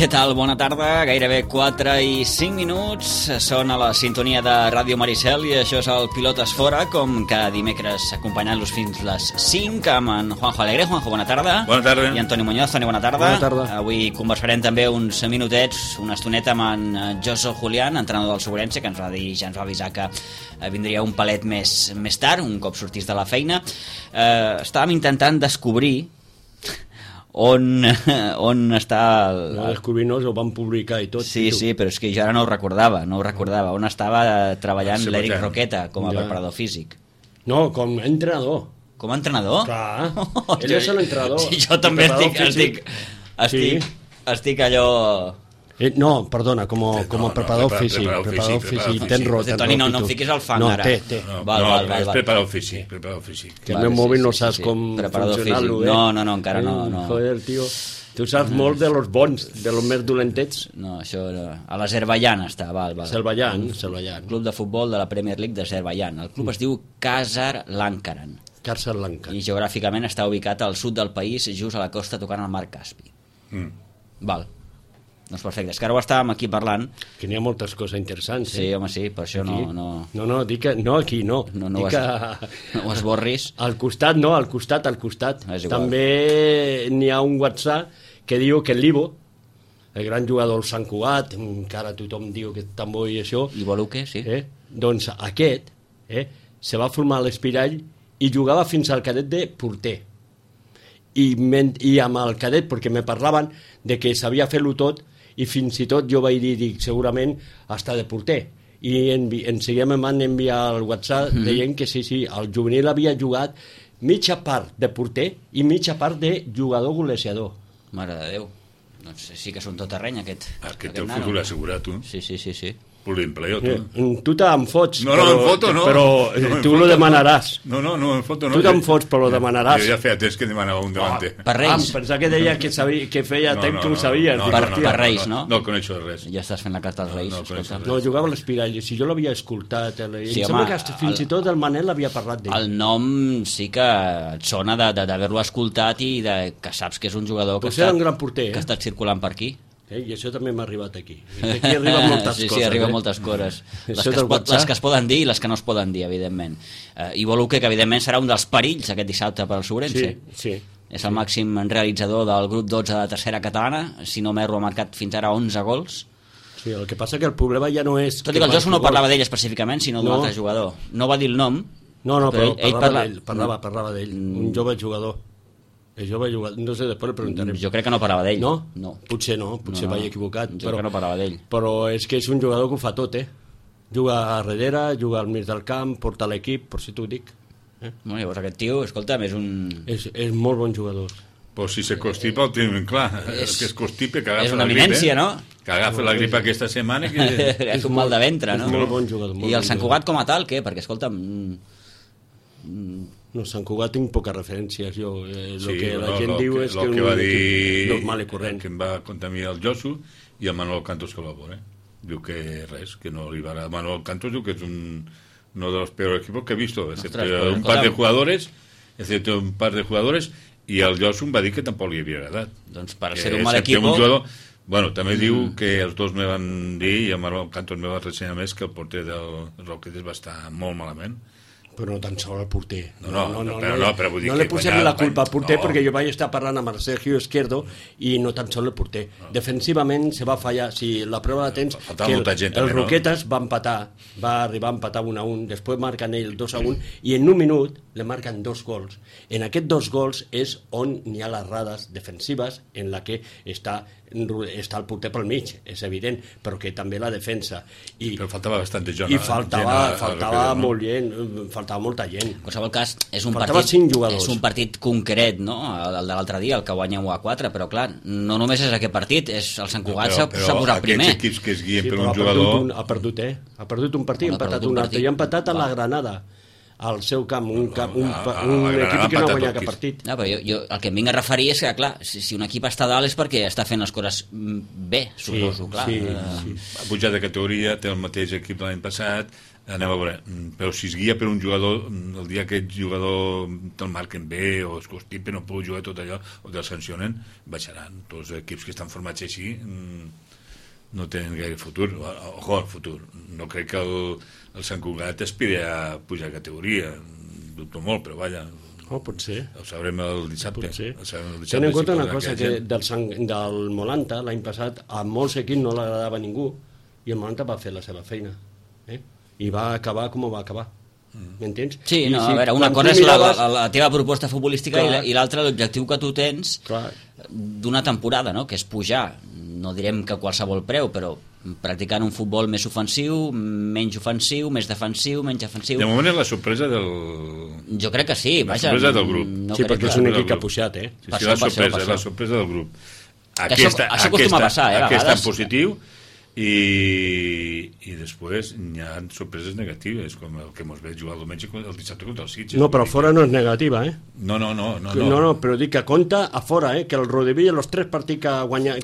Què tal? Bona tarda, gairebé 4 i 5 minuts. Són a la sintonia de Ràdio Maricel i això és el Pilotes Fora, com cada dimecres acompanyant-los fins les 5 amb en Juanjo Alegre. Juanjo, bona tarda. Bona tarda. I Antoni Muñoz. Toni, bona tarda. Bona tarda. Avui conversarem també uns minutets, una estoneta amb en Josu Julián, entrenador del Sobrense, que ens va dir, ja ens va avisar que vindria un palet més tard, un cop sortís de la feina. Estàvem intentant descobrir on està No descobrir-nos, ho van publicar i tot. Sí, però és que jo ara no ho recordava. On estava treballant l'Eric Roqueta com a preparador físic. No, com a entrenador. Com a entrenador? Clar, ell és l'entrenador. Sí, jo també estic allò... No, perdona, com a preparador físic. Preparador físic. Toni, no em fiquis al fang ara. No, té. No, és preparador físic. Que el meu mòbil no saps com funcionar-lo, eh? No, encara no. Joder, tio, tu saps molt de los bons, de los més dolentets. No, això a l'Azerbaiyán està, val. Azerbaiyán. Club de futbol de la Premier League d'Azerbaiyán. El club es diu Khazar Lankaran. Khazar Lankaran. I geogràficament està ubicat al sud del país, just a la costa tocant al mar Caspi. Val. Doncs perfecte, és que ara ho estàvem aquí parlant. Que n'hi ha moltes coses interessants, Sí, home, sí, per això aquí? no... No, dic que... No, aquí no. No ho esborris. Al costat, no, al costat. També n'hi ha un WhatsApp que diu que el Libo, el gran jugador del Sant Cugat, encara tothom diu que tan bo i això... Libo Luque, sí. Doncs aquest se va formar a l'Espirall i jugava fins al cadet de porter. I amb el cadet, perquè me parlaven de que sabia fer-lo tot, i fins i tot jo vaig dir segurament està de porter, i en seguida em van enviar el WhatsApp deien que sí, el juvenil havia jugat mitja part de porter i mitja part de jugador golejador. Mare de Déu, doncs sí que són tot terreny aquest té el futur assegurat, tu. Sí. L'empleo, tu. Tu te'n fots, no. Però tu lo demanaràs. No, em foto no. Tu te'n fots, però lo demanaràs. Jo ja feia temps que demanava un davanter. Per Reis. Pensava que deia que feia temps que ho sabies. Per Reis, no? No el coneixo de res. Ja estàs fent la carta als Reis. No, jugava a l'Espirall, si jo l'havia escoltat. Em sembla que fins i tot el Manel havia parlat d'ell. El nom sí que et sona d'haver-lo escoltat i que saps que és un jugador que era un gran porter, que ha estat circulant per aquí. I això també m'ha arribat aquí. Aquí arriben moltes coses. Sí, arriben moltes coses. Les que es poden dir i les que no es poden dir, evidentment. I Luque, que evidentment serà un dels perills aquest dissabte per al Sobrense. Sí. És el màxim realitzador del grup 12 de tercera catalana. Si no m'erro, ha marcat fins ara 11 gols. Sí, el que passa que el problema ja no és... Tot i que el Josu no parlava d'ell específicament, sinó d'un altre jugador. No va dir el nom. No, però parlava d'ell. Un jove jugador. Jo vaig jugar, no sé, després el preguntarem. Jo crec que no parlava d'ell. No? Potser vaig equivocat. Jo crec que no parlava d'ell. Però és que és un jugador que ho fa tot, Juga a darrere, juga al mig del camp, porta l'equip, per si t'ho dic. Bueno, llavors aquest tio, escolta'm, és un... És molt bon jugador. Pues si se constipa el tenim clar. Que es constipe, que agafa la grip. És una eminència, no? Que agafa la grip aquesta setmana. És un mal de ventre, no? És molt bon jugador. I el Sant Cugat com a tal, què? Perquè, escolta'm... No, Sant Cugat tinc poques referències. La gent diu és que va dir normal i corrent. Que em va contar a mi el Josu i el Manuel Cantos que va veure. Diu que res, que no arribarà. Manuel Cantos diu que és uno de los peores equipos que he visto, excepto un par de jugadores, i el Josu em va dir que tampoc li havia agradat. Doncs per ser un mal equip... Bueno, també diu que els dos me van dir, i el Manuel Cantos me va ressenyar més, que el porter del Roquetes va estar molt malament. Però no tan sol el porter. Però vull dir no li posem la culpa al porter, perquè jo vaig estar parlant amb el Sergio Izquierdo i no tan sol el porter. Defensivament se va fallar. Si la prova de temps que el Roquetes va empatar, va arribar a empatar 1-1, després marquen ell 2-1 i en un minut le marquen 2 gols. En aquests 2 gols és on hi ha les errades defensives en la que està el porter pel mig, és evident, però que també la defensa. Però faltava bastant gent. I faltava molta gent. En qualsevol cas, és un partit concret, no? El de l'altre dia, el que guanya 1-4, però clar, no només és aquest partit, és el Sant Cugat s'ha posat primer. Aquests equips que es guien per un jugador... Ha perdut un partit, ha empatat un altre, i ha empatat a la Granada, al seu camp, un equip que no ha guanyat cap partit. No, però jo el que em vinc a referir és que, clar, si un equip està dalt és perquè està fent les coses bé, suposo, clar. Ha pujat de categoria, té el mateix equip l'any passat, anem a veure, però si es guia per un jugador, el dia que aquest jugador te'l marquen bé o es constipa, no pot jugar tot allò o te'l sancionen, baixaran. Tots els equips que estan formats així no tenen gaire futur. Ojo, el futur. No crec que el Sant Cugat aspiri a pujar a categoria, dubto molt, però vaja, potser. Ho sabrem el dissabte. Ten en compte una cosa, que del Molanta l'any passat a molts equips no l'agradava ningú i el Molanta va fer la seva feina, i va acabar com va acabar, m'entens? Sí, no, a veure, una cosa és la teva proposta futbolística i l'altra l'objectiu que tu tens d'una temporada, no? Que és pujar, no direm que a qualsevol preu, però practicant un futbol més ofensiu, menys ofensiu, més defensiu, menys defensiu. De moment és la sorpresa del... Jo crec que sí, vaja. La sorpresa del grup. No, sí, perquè és un equip que ha pujat, Sí, és la sorpresa del grup. Això acostuma a passar, a vegades. Aquest en positiu i després hi ha sorpreses negatives, com el que mos ve jugar el diumenge el dissabte contra el Sitges. No, però fora no és negativa, No, però dic que compta a fora, que el Rodevilla, els 3 partits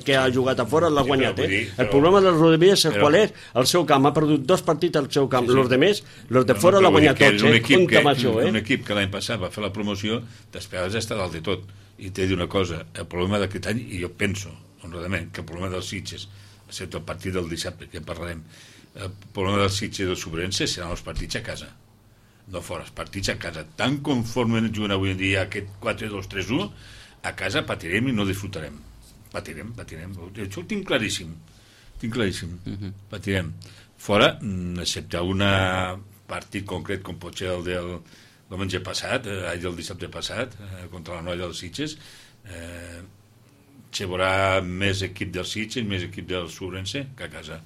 que ha jugat a fora l'ha guanyat, El problema del Rodevilla és qual és? El seu camp ha perdut 2 partits al seu camp, els de més, els de fora l'ha guanyat tots, compta amb això, Un equip que l'any passat va fer la promoció, després està dalt de tot, i t'he de dir una cosa, el problema d'aquest any, i jo penso, honradament, que el problema dels Sitges, excepte el partit del dissabte, que en parlarem, el problema del Sitges i del Sobrense seran els partits a casa, no fora, els partits a casa. Tan conforme juguen avui en dia aquest 4-2-3-1, a casa patirem i no disfrutarem. Patirem. Això ho tinc claríssim. Patirem. Fora, excepte un partit concret, com pot ser el del diumenge passat, del dissabte passat, contra la Noia dels Sitges, se veurà més equip del Sitges, més equip del Sobrense que a casa,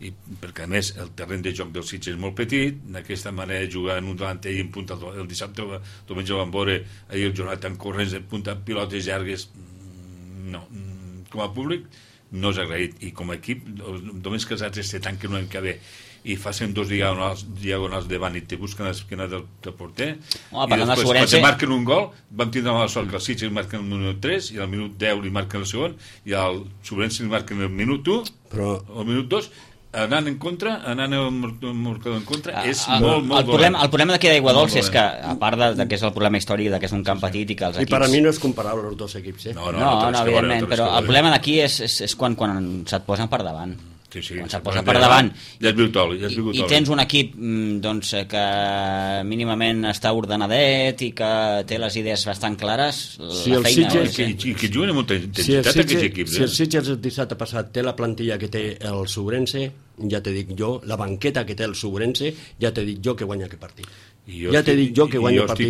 i perquè a més el terreny de joc del Sitges és molt petit, d'aquesta manera jugar en un delanter i en punta el dissabte diumenge vam veure ahir el Jonathan corrents de punta, pilotes llargues, no, com a públic no és agraït, i com a equip només que els altres se tanquen un any que ve i facin 2 diagonals davant i te busquen l'esquena del porter, i després quan te marquen un gol vam tindre la sort que els Sitges marquen el minut 3 i al minut 10 li marquen el segon i al Sobrense li marquen el minut 1 o el minut 2, anant en contra, anant en contra, és molt dolent. El problema d'aquí d'Aigua Dolça és que, a part de que és el problema històric, que és un camp petit i que els equips... I per a mi no és comparable els dos equips, No, evidentment, però el problema d'aquí és quan se't posen per davant. Sí, quan se't posa per davant ja i tens un equip que mínimament està ordenadet i que té les idees bastant clares, la feina i que juguen amb molta intensitat aquests equips. Si el Sitges el dissabte passat té la plantilla que té el Sobrense, ja t'he dit jo, la banqueta que té el Sobrense, ja t'he dit jo que guanya aquest partit. Ja t'he dit jo que guanya el partit,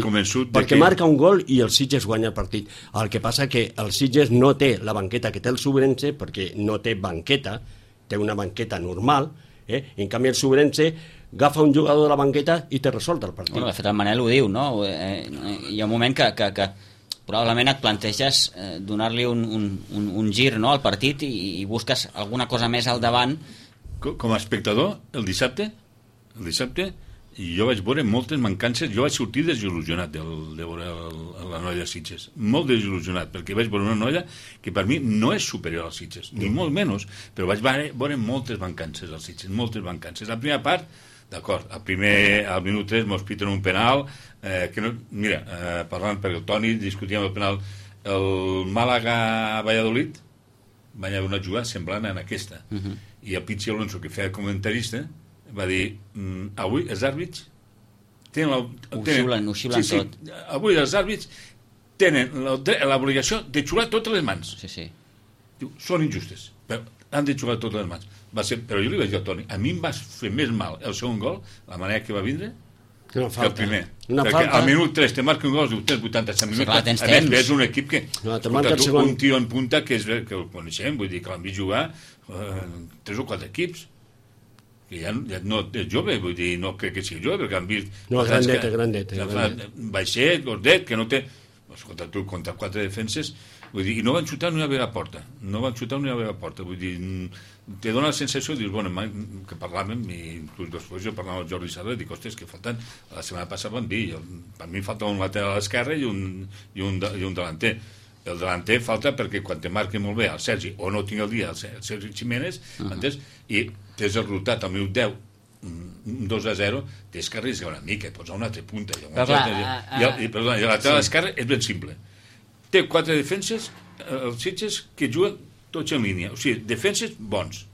perquè marca un gol i el Sitges guanya el partit. El que passa que el Sitges no té la banqueta que té el Sobrense, perquè no té banqueta, té una banqueta normal, en canvi el Sobrense agafa un jugador de la banqueta i te resolt el partit. Bueno, de fet el Manel ho diu, no? Hi ha un moment que probablement et planteges donar-li un gir, no, al partit i busques alguna cosa més al davant. Com a espectador, el dissabte jo vaig veure moltes mancances, jo vaig sortir desil·lusionat de veure la Noia de Sitges, molt desil·lusionat, perquè vaig veure una Noia que per mi no és superior als Sitges, ni molt menys, però vaig veure moltes mancances als Sitges, moltes mancances. La primera part, d'acord, al minut 3 mos piten un penal, parlant perquè el Toni discutíem el penal, el Màlaga-Valladolid van haver una jugada semblant en aquesta, i el Pichi Alonso, que feia comentarista, va dir, avui els àrbits ho xiulen tot. Avui els àrbits tenen l'obligació de xular totes les mans. Diu, són injustes, però han de xular totes les mans. Però jo li vaig dir al Toni, a mi em va fer més mal el segon gol, la manera que va vindre, que el primer. Perquè al minut 3 te marca un gol, diu, tens 87 minuts. A més, és un equip que un tio en punta que el coneixem, vull dir que l'han vist jugar 3 o 4 equips, que ja no és jove, vull dir, no crec que sigui jove, perquè han vist... No, grandet. Baixet, gordet, que no té... Contra 4 defenses, vull dir, i no van xutar ni una vegada a porta. Vull dir, te dona la sensació, dius, bueno, que parlàvem, i inclús després jo parlava amb el Jordi Sarra, i dic, ostres, que falten... La setmana passada van dir, per mi falta un lateral a l'esquerra i un delanter. El delanter falta perquè quan te marqui molt bé el Sergi, o no tinc el dia el Sergi Jiménez, entens? I tens el rotat al minut 10 un 2-0, tens que arriscar una mica, posar una altra punta. Però clar, I la lateral esquerra és ben simple. Té 4 defenses, els Sitges, que juguen tots en línia. O sigui, defenses bons,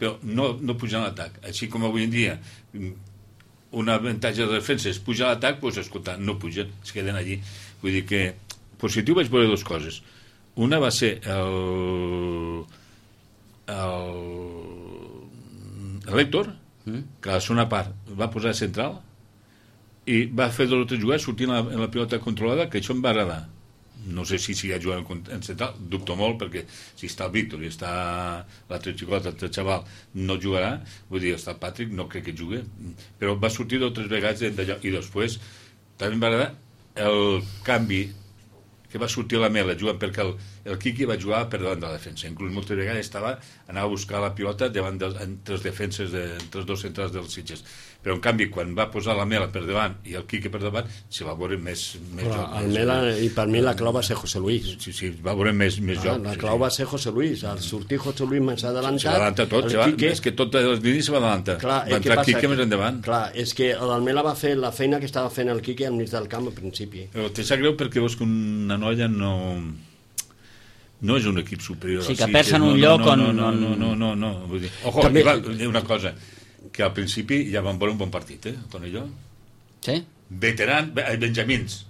però no pugen a l'atac. Així com avui en dia un avantatge de defensa és pujar a l'atac, doncs, escolta, no pugen, es queden allí. Vull dir que positiu vaig veure dues coses. Una va ser l'Héctor, que a la segona part va posar central i va fer 2 o 3 jugades sortint en la pilota controlada, que això em va agradar. No sé si ha jugat en central, dubto molt, perquè si està el Víctor i està l'altre xicot, l'altre xaval, no jugarà. Vull dir, està el Patrick, no crec que jugui, però va sortir 2 o 3 vegades d'allò. I després també em va agradar el canvi que va sortir a la Mela jugant, perquè el Quiqui va jugar per davant de la defensa. Inclús moltes vegades anava a buscar la pilota entre els defenses, entre els dos centrals dels Sitges. Però en canvi, quan va posar la Mela per davant i el Quiqui per davant, se va veure més joc. El Mela, i per mi la clau va ser José Luis. Sí, va veure més joc. La clau va ser José Luis. Al sortir José Luis més adelantat... S'adalanta tot, és que tot els línies se va adelantar. Va entrar el Quiqui més endavant. Clar, és que el Mela va fer la feina que estava fent el Quiqui al mig del camp al principi. Però te sap greu perquè veus que una noia no és un equip superior. Sí, que perds en un lloc on... No. Vull dir, ojo, una cosa, que al principi ja van veure un bon partit, Tonelló. Sí? Veteran, benjamins.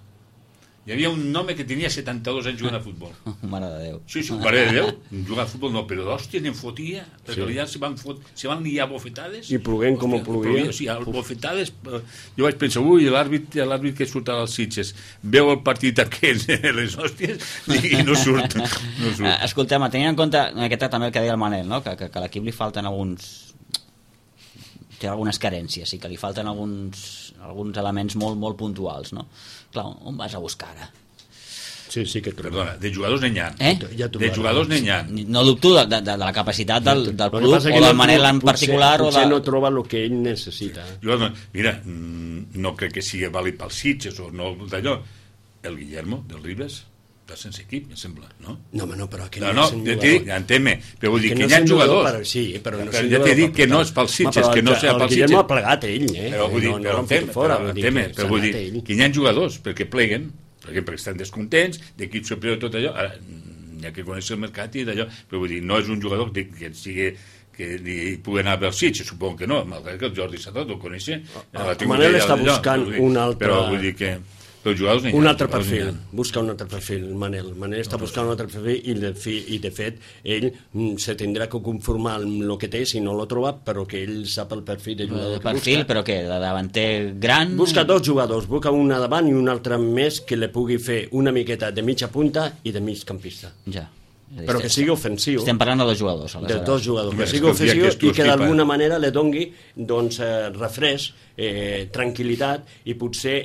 Hi havia un home que tenia 72 anys jugant a futbol. Mare de Déu. Sí, mare de Déu. Jugar a futbol no, però d'hòstia n'en fotia, perquè allà se van liar bofetades. I ploguent com ho ploguia. Sí, bofetades. Jo vaig pensar, l'àrbit que surt als Sitges veu el partit aquest, les hòsties, i no surt. Escolteu, tenint en compte aquest també el que deia el Manel, no? que a l'equip li falten té algunes carències i que li falten alguns elements molt puntuals, no? Clar, on vas a buscar ara? Sí, que perdona, de jugadors n'hi ha. De jugadors n'hi ha. No dubto de la capacitat del club o del Manel en particular. Potser no troba el que ell necessita. Mira, no crec que sigui vàlid pels Sitges o no d'allò. El Guillermo, del Ribes, està sense equip, em sembla, no? No, però que no és un jugador. Ja entén-me, però vull dir que hi ha jugadors. Sí, però no és un jugador. Ja t'he dit que no és pels Sitges, que no sigui pels Sitges. El Guillermo ha plegat ell, Però vull dir, però vull dir que hi ha jugadors perquè pleguen, perquè estan descontents, d'equip superior i tot allò. Ara, hi ha que conèixer el mercat i d'allò, però vull dir, no és un jugador que sigui que hi pugui anar als Sitges, suposo que no, malgrat que el Jordi Satot ho coneixer. Manel està buscant un altre... Però vull dir que... Un altre perfil, busca un altre perfil, Manel està buscant un altre perfil i de fet ell se tindrà que conformar amb el que té si no l'ho troba, però que ell sap el perfil de jugador que busca. Però què, de davanter gran? Busca 2 jugadors, busca un a davant i un altre més que li pugui fer una miqueta de mitja punta i de mig campista. Ja. Però que sigui ofensiu. Estem parlant de 2 jugadors. De 2 jugadors, que sigui ofensiu i que d'alguna manera li doni refresc, tranquil·litat i potser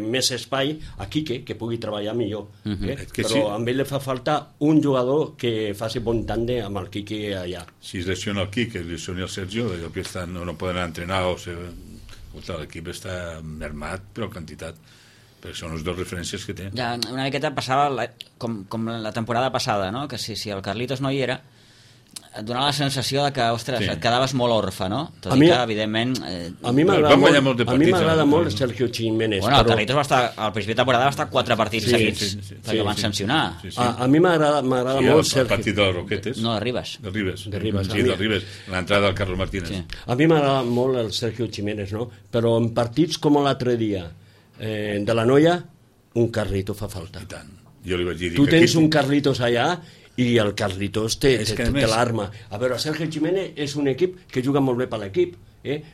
més espai a Quique, que pugui treballar millor. Però amb ell li fa falta un jugador que faci bon tàndem amb el Quique allà. Si es lesiona el Quique, es lesiona el Sergio, que no poden entrenar l'equip està mermat per quantitat, perquè són les 2 referències que té. Ja, una miqueta passava com la temporada passada, no? Que si el Carlitos no hi era, et donava la sensació de que, ostres, et quedaves molt orfe, no? Tot i que, evidentment... A mi m'agrada molt Sergio Jiménez. Bueno, el Carlitos va estar, al principi de temporada va estar 4 partits seguits, perquè el van sancionar. A mi m'agrada molt Sergio... El partit de les Roquetes. No, de Ribes. De Ribes, l'entrada del Carlos Martínez. A mi m'agrada molt el Sergio Jiménez, no? Però en partits com l'altre dia de la Noia, un Carlito fa falta. I tant. Jo li vaig dir tu tens un Carlitos allà i el Carlitos té l'arma. A veure, Sergio Jiménez és un equip que juga molt bé per l'equip,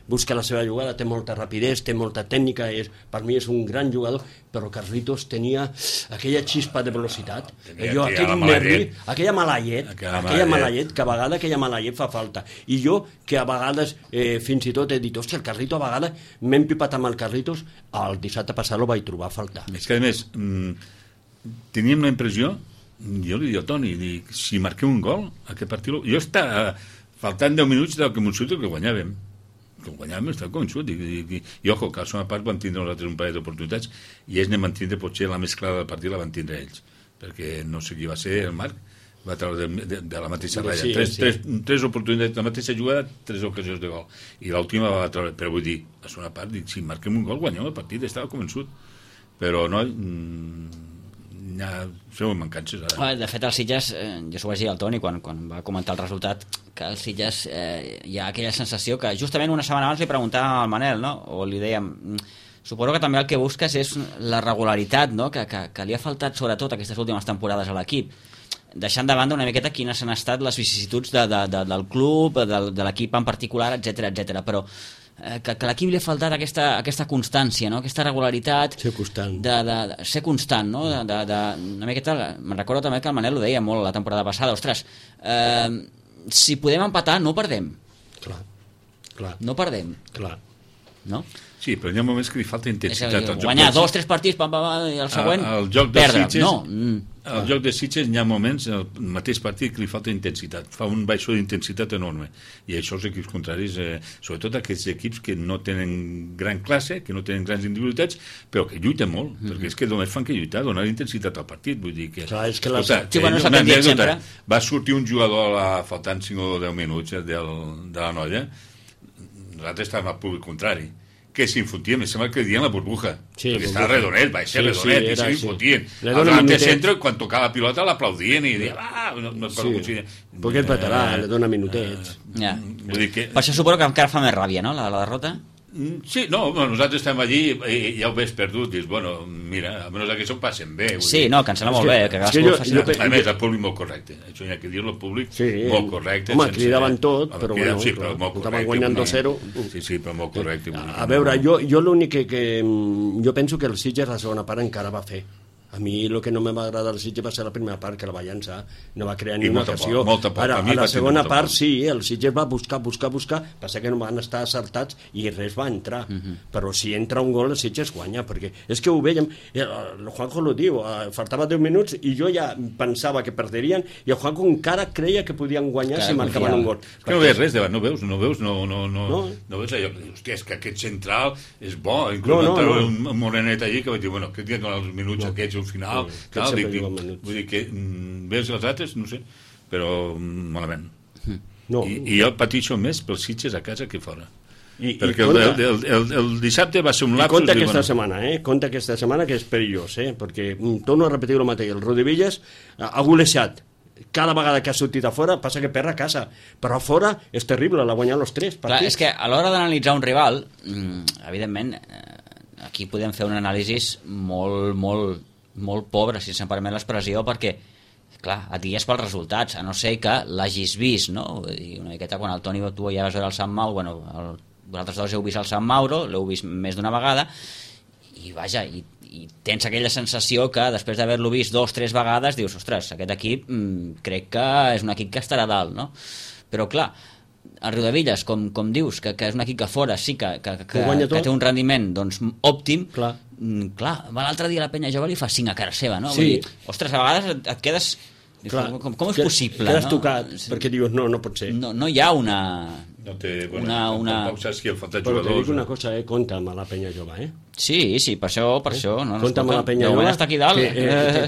busca la seva jugada, té molta rapidesa, té molta tècnica, per mi és un gran jugador, però Carlitos tenia aquella xispa de velocitat, aquell nervi, aquella malaiet, que a vegades aquella malaiet fa falta. I jo, que a vegades fins i tot he dit, hòstia, el Carlitos a vegades m'he empipat amb el Carlitos, el dissabte passat ho vaig trobar a faltar. És que a més teníem la impressió, jo li dic a Toni, si marquem un gol aquest partit, jo està faltant 10 minuts del que m'ho surto que guanyàvem, estava convençut i ojo, que a la segona part van tindre nosaltres un parell d'oportunitats i ells anem a tindre potser la més clara del partit la van tindre ells, perquè no sé qui va ser el Marc, va treure de la mateixa ratlla. Tres oportunitats, la mateixa jugada, 3 ocasions de gol. I l'última va treure, però vull dir, a segona part, dic, si marquem un gol, guanyem el partit, estava convençut. Però no, som mancances ara. De fet, el Sitges, jo s'ho vaig dir al Toni quan va comentar el resultat, que el Sitges hi ha aquella sensació que justament una setmana abans li preguntàvem al Manel, no? O li dèiem, suposo que també el que busques és la regularitat, no? Que li ha faltat sobretot aquestes últimes temporades a l'equip, deixant de banda una miqueta quines han estat les vicissituds del club, de l'equip en particular, etc. Però que a l'equip li ha faltat aquesta constància, no? Aquesta regularitat, ser constant, de ser constant, no? Una miqueta, me'n recordo també que el Manel ho deia molt la temporada passada, ostres, si podem empatar no perdem, clar. No perdem, clar. No? Sí, però hi ha moments que li falta intensitat. Guanyar 2-3 partits i el següent perdre. Al joc de Sitges hi ha moments, el mateix partit, que li falta intensitat. Fa un baixó d'intensitat enorme. I això els equips contraris, sobretot aquests equips que no tenen gran classe, que no tenen grans individualitats, però que lluiten molt, perquè és que només fan que lluitar, donar intensitat al partit. Vull dir que... Clar, és que va sortir un jugador faltant 5 o 10 minuts de la Noia, nosaltres estàvem al públic contrari, que s'infotien, em sembla que dien la burbuja, perquè estava redonet, va ser redonet, i s'infotien. Al delante centre, quan tocava la pilota, l'aplaudien i deien, perquè et petarà, le dona minutets. Per això suposo que encara fa més ràbia, no?, la derrota? Sí, no, nosaltres estem allí i ja ho veus perdut, dius, bueno, mira, almenys que això ho passen bé. Sí, no, que em sembla molt bé. A més, el públic molt correcte, això hi ha que dir-lo, el públic molt correcte. Home, cridaven tot, però bueno, estaven guanyant 2-0. Sí, però molt correcte. A veure, jo l'únic que... Jo penso que el Sitges la segona part encara va fer. A mi el que no me va agradar del Sitges va ser la primera part, que la va llançar, no va crear ni una ocasió. Ara, a la segona part sí, el Sitges va buscar, passa que no van estar acertats i res va entrar. Però si entra un gol el Sitges guanya, perquè és que ho veiem, el Juanjo lo diu, faltava 10 minuts i jo ja pensava que perderien i el Juanjo encara creia que podien guanyar si marcaven un gol. Que no veus res davant, no veus allò que dius, hòstia, és que aquest central és bo, inclús va treure un morenet allí que va dir, bueno, que tenen els minuts aquests al final, vull dir que veus els altres, no sé, però malament. I jo pateixo més pels Sitges a casa que fora. Perquè el dissabte va ser un lapsus. Compte aquesta setmana que és perillós, perquè torno a repetir el mateix, el Rodevillas ha golejat cada vegada que ha sortit a fora, passa que perd a casa, però a fora és terrible, l'ha guanyat els 3 partits. Clar, és que a l'hora d'analitzar un rival, evidentment aquí podem fer un anàlisi molt pobre, si se'm permet l'expressió, perquè clar, et guies pels resultats, a no ser que l'hagis vist, no? Vull dir, una miqueta quan el Toni tu ja vas veure el Sant Mauro, bueno, vosaltres dos heu vist el Sant Mauro, l'heu vist més d'una vegada, i vaja, i tens aquella sensació que després d'haver-lo vist 2 o 3 vegades dius, ostres, aquest equip crec que és un equip que estarà dalt, no? Però clar, el Riudevilles, com dius, que és un equip que fora sí que té un rendiment doncs, òptim, clar, va l'altre dia la Penya Jove li fa 5 a cara seva, no? Sí. Vull dir, ostres, a vegades et quedes... Clar, com és possible? Quedes tocat, perquè dius, no pot ser. No hi ha una... No té, tampoc saps qui ha faltat jugadors. Però t'he dit una cosa, compta amb la Penya Jove, Sí, per això. Compta amb la Penya Jove. Està aquí dalt.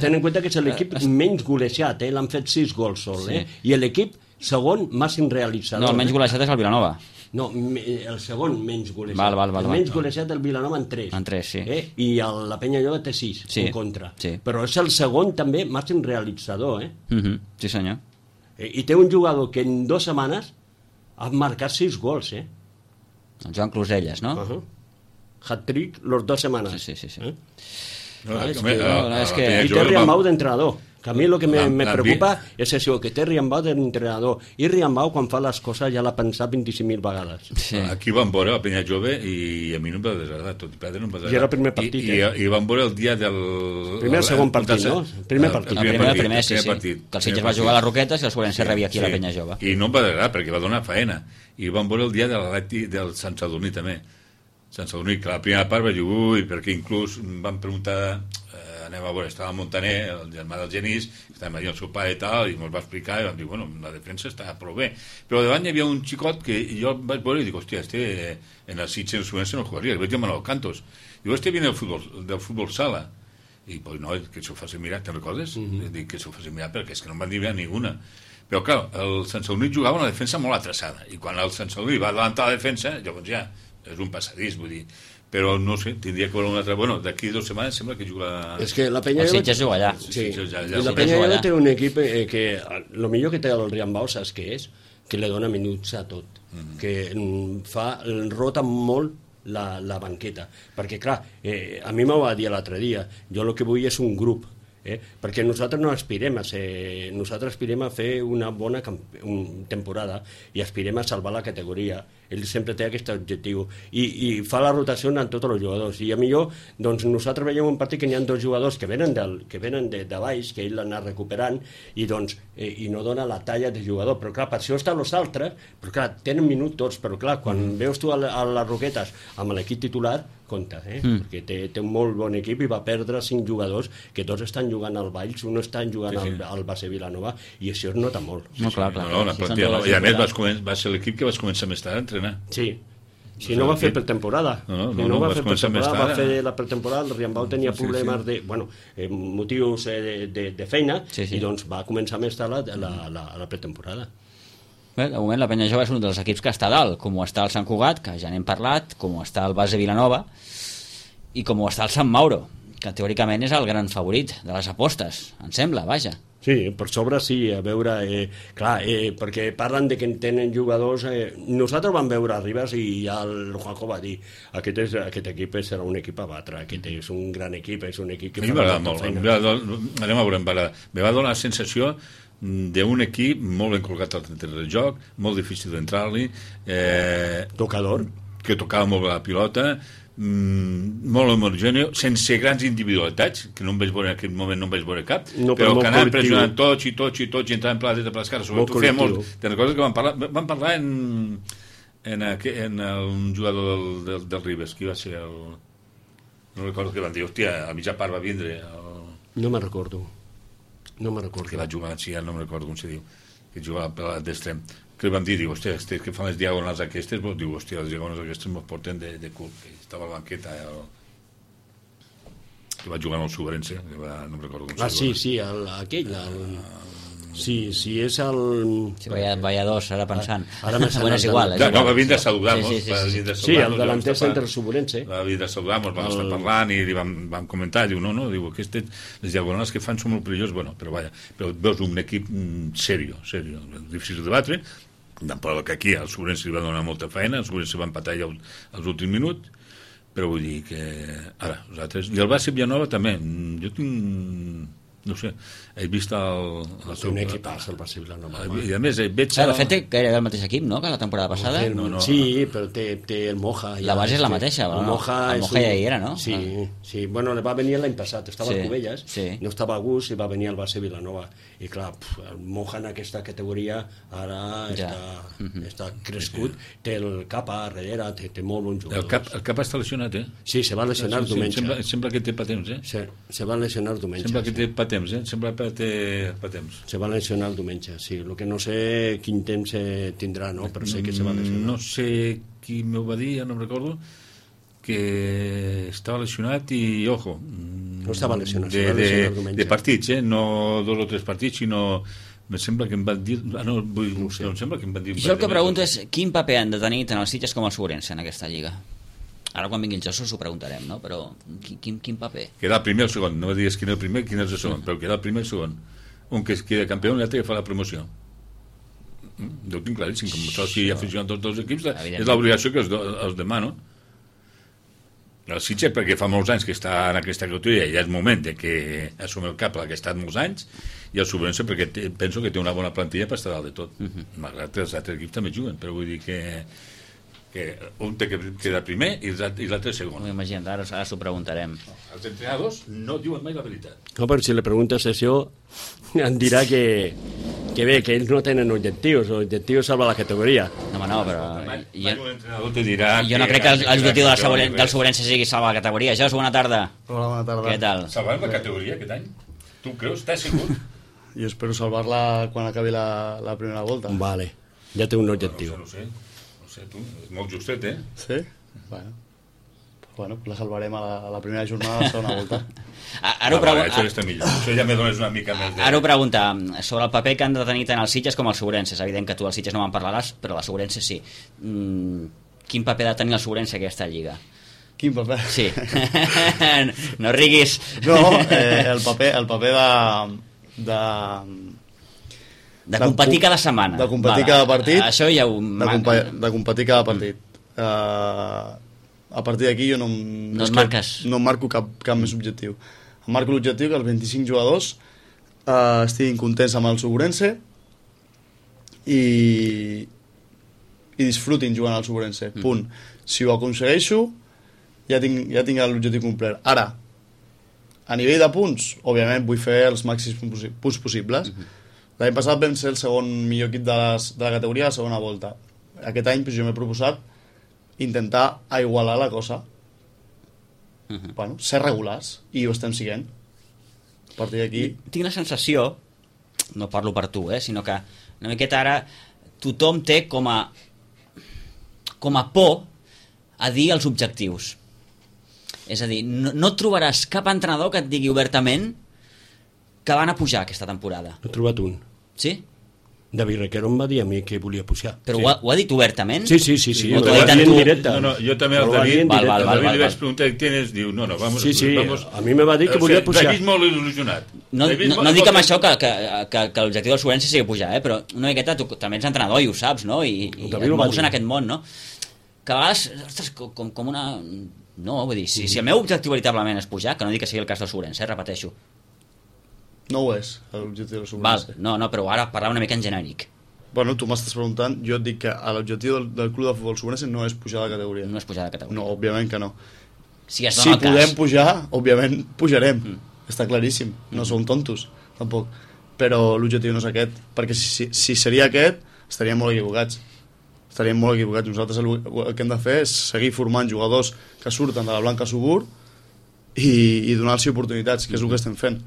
Ten en compte que és l'equip menys golejat, l'han fet 6 gols sol, i l'equip segon màxim realitzador. No, el menys golejat és el Vilanova. No, el segon menys golejat. Val. El menys golejat el Vilanova en 3. En 3, sí. I la Penya Jove té 6 en contra. Sí. Però és el segon també màxim realitzador, Sí, senyor. I té un jugador que en 2 setmanes ha marcat 6 gols, El Joan Closelles, no? Hat-trick los 2 setmanes. Sí. I té Riambau d'entrenador. Que a mi el que me preocupa és això, que té Riambau d'entrenador. I Riambau, quan fa les coses, ja l'ha pensat 25.000 vegades. Sí. Aquí van veure la Penya Jove i a mi no em va desagradar, tot i perdre no em va desagradar. I era el primer partit, I van veure el dia del... Primer o segon partit, no? Primer partit. El primer, sí. Que el Sitges va jugar a les Roquetes i el Sobrense rebia aquí a la Penya Jove. I no em va desagradar, perquè va donar faena. I van veure el dia del Sant Sadurní, també. Sant Sadurní, que la primera part va dir, perquè inclús van preguntar... anem a veure, estava Montaner, el germà del Genís, estàvem allà el seu pare i tal, i ens va explicar, i vam dir, bueno, la defensa està prou bé. Però davant hi havia un xicot que jo vaig veure i dic, hòstia, en el Sitges en el Subense no jugaria, el vaig dir Manuel Cantos. Diu, viene del futbol sala. i pues no, que s'ho facin mirar, te'n recordes? Dic que s'ho facin mirar perquè és que no em van dir ninguna. Però clar, el Sant Sadurní jugava una defensa molt atrasada, i quan el Sant Sadurní va adelantar la defensa, llavors ja és un passadís, vull dir, però no sé, tindria que veure una altra... Bueno, d'aquí 2 setmanes sembla que juga... És que la Penya... El Sitges juga allà. Sí, la Penya té un equip que el millor que té el Riambau, saps què és? Que li dona minuts a tot, que rota molt la banqueta, perquè clar, a mi m'ho va dir l'altre dia, jo el que vull és un grup, perquè nosaltres no aspirem a ser, nosaltres aspirem a fer una bona temporada i aspirem a salvar la categoria. Ell sempre té aquest objectiu i fa la rotació en tots els jugadors, i a millor doncs nosaltres veiem un partit que n'hi ha 2 jugadors que venen de baix, que ell l'ha anat recuperant i no dona la talla de jugador, però clar, per això estan els altres, però clar, tenen minut tots, però clar, quan veus tu a les Roquetes amb l'equip titular, compte, perquè té un molt bon equip i va perdre 5 jugadors que tots estan jugant al Valls, un estan jugant al Base Vilanova, i això es nota molt. No, clar. I a més va ser l'equip que vas començar més tard a entrenar. Sí. Si no va fer pretemporada. No va fer pretemporada, va fer la pretemporada, el Riambau tenia problemes de, motius de feina, i doncs va començar més tard la pretemporada. Bé, de moment la Penya Jove és un dels equips que està dalt, com ho està el Sant Cugat, que ja n'hem parlat, com ho està el Base Vilanova i com ho està el Sant Mauro, que teòricament és el gran favorit de les apostes, em sembla, vaja. Sí, per sobre sí, a veure, clar, perquè parlen de que tenen jugadors, nosaltres vam veure a Ribas i ja el Juanjo va dir, aquest equip serà un equip a batre, aquest és un gran equip, és un equip que fa molta feina. Anem a veure, me va donar la sensació d'un equip molt ben col·locat al terreny de joc, molt difícil d'entrar-li, tocador, que tocava molt la pilota, molt homogèneo, sense grans individualitats, que no em vaig veure en aquest moment, no em vaig veure cap, però que anaven pressionant tots i entraven per la dreta, per l'esquerra, sobretot feia molt. Te'n recordes que vam parlar en un jugador del Ribes, qui va ser el... No recordo que van dir, hòstia, a mitja part va vindre no me'n recordo que va jugar, sí, no me'n recordo com se diu, que jugava per l'extrem, que li vam dir, hòstia, que fan les diagonals aquestes, diu, hòstia, les diagonals aquestes mos porten de cul, que estava a la banqueta, que va jugar en el Sobrense, no me'n recordo com se diu. Sí, aquell, sí, és el... Sí, vaya dos, ara pensant. Bueno, és igual. No, va vindre a saludar-nos. Sí, el delanter centre Sobrense. Va vindre a saludar-nos, vam estar parlant i li vam comentar, diu, diu, aquestes, les diagonals que fan són molt perilloses, però veus un equip serio, difícil de batre, tampoc que aquí al Sobrense li va donar molta feina, el Sobrense va empatar ja als últims minuts, però vull dir que ara, nosaltres, i el Base Vilanova també, jo tinc... No sé, he vist un equip el Base Vilanova. I a més, veig... De fet, que era el mateix equip, no?, que la temporada passada. Sí, però té el Moja. La base és la mateixa, el Moja ja hi era, no? Sí, bueno, va venir l'any passat, estava a Cubelles, no estava a gust i va venir al Base Vilanova. I clar, el Moja en aquesta categoria ara està crescut, té el Capa a darrere, té molt bons jugadors. El Capa està lesionat, Sí, se va lesionar diumenge. Sembla que té patents, Se va lesionar diumenge. Sembla que té patents, sembla que té patents. Se va lesionar el diumenge, sí. El que no sé quin temps tindrà, no? Però sé que se va lesionar. No sé qui m'ho va dir, ja no em recordo, que estava lesionat i, ojo... No estava lesionat, de partits, no 2 o 3 partits, sinó... Me sembla que em van dir... no sé. Em sembla que em van dir... I jo el que pregunto és quin paper han de tenir tant els Sitges com el Sobrense en aquesta lliga? Ara quan vingui el Josu s'ho preguntarem, no? Però quin paper? Queda el primer o el segon, no digues quin és el primer, quin és el segon, però queda el primer i el segon. Un que queda campió i l'altre que fa la promoció. Jo ho tinc claríssim, com soci aficionat dels 2 equips, és l'obligació que els demano. El Sitges, perquè fa molts anys que està en aquesta categoria, ja és moment de que assumi el cap la que ha estat molts anys, i el Sobrense perquè penso que té una bona plantilla per estar dalt de tot. Malgrat que els altres equips també juguen, però vull dir que un té que quedar primer i l'altre segon. Imagina't, ara s'ho preguntarem. Els entrenadors no diuen mai la veritat. No, però si li preguntes això, em dirà que bé, que ells no tenen objectius, l'objectiu és salvar la categoria. No, però... l'entrenador te dirà... Jo no crec que l'objectiu del Sobrense sigui salvar la categoria. Jos, bona tarda. Hola, bona tarda. Què tal? Salvar la categoria aquest any? Tu creus? Estàs segur? Jo espero salvar-la quan acabi la primera volta. Vale, ja té un objectiu. No sé, tu, és molt justet, Sí? Bueno. Bueno, la salvarem a la primera jornada de la segona volta. Això està millor. Això ja me dones una mica més de... Ara ho pregunta, sobre el paper que han de tenir tant els Sitges com els Segurenses. És evident que tu els Sitges no me'n parlaràs, però les Segurenses sí. Quin paper ha de tenir el Segurense aquesta lliga? Quin paper? Sí. No riguis. No, el paper de competir cada setmana. De competir cada partit. Això ja ho... De competir cada partit. A partir d'aquí jo no em marco cap més objectiu. Em marco l'objectiu que els 25 jugadors estiguin contents amb el Segurense i disfrutin jugant al Segurense. Punt. Si ho aconsegueixo, ja tinc l'objectiu complet. Ara, a nivell de punts, òbviament vull fer els màxims punts possibles. L'any passat vam ser el segon millor equip de la categoria a la segona volta. Aquest any jo m'he proposat intentar igualar la cosa. Bueno, ser regulars, i ho estem siguent. A partir d'aquí... Tinc la sensació, no parlo per tu, sinó que una miqueta ara tothom té com a por a dir els objectius. És a dir, no trobaràs cap entrenador que et digui obertament que van a pujar aquesta temporada. He trobat un. Sí? David Requero em va dir a mi que volia pujar. Però sí. Ho ha dit obertament? Sí. Ho ha dit en directe. No, jo també al David li vaig preguntar què tienes, diu, vamos... Sí, a mi me va dir que volia pujar. David molt il·lusionat. No dic amb això que l'objectiu del Segurense sigui pujar, però una miqueta tu també ets entrenador i ho saps, no? I et mous en aquest món, no? Que a vegades, ostres, com una... No, vull dir, si el meu objectiu veritablement és pujar, que no dic que sigui el cas del Segurense, repeteixo. No ho és, l'objectiu del Segurense. No, però ara parlar una mica en genèric. Bueno, tu m'estàs preguntant, jo et dic que l'objectiu del club de futbol Segurense no és pujar de categoria. No és pujar de categoria. No, òbviament que no. Si podem pujar, òbviament pujarem. Està claríssim, no som tontos, tampoc. Però l'objectiu no és aquest, perquè si seria aquest, estaríem molt equivocats. Nosaltres el que hem de fer és seguir formant jugadors que surten de la Blanca Subur i donar-los oportunitats, que és el que estem fent.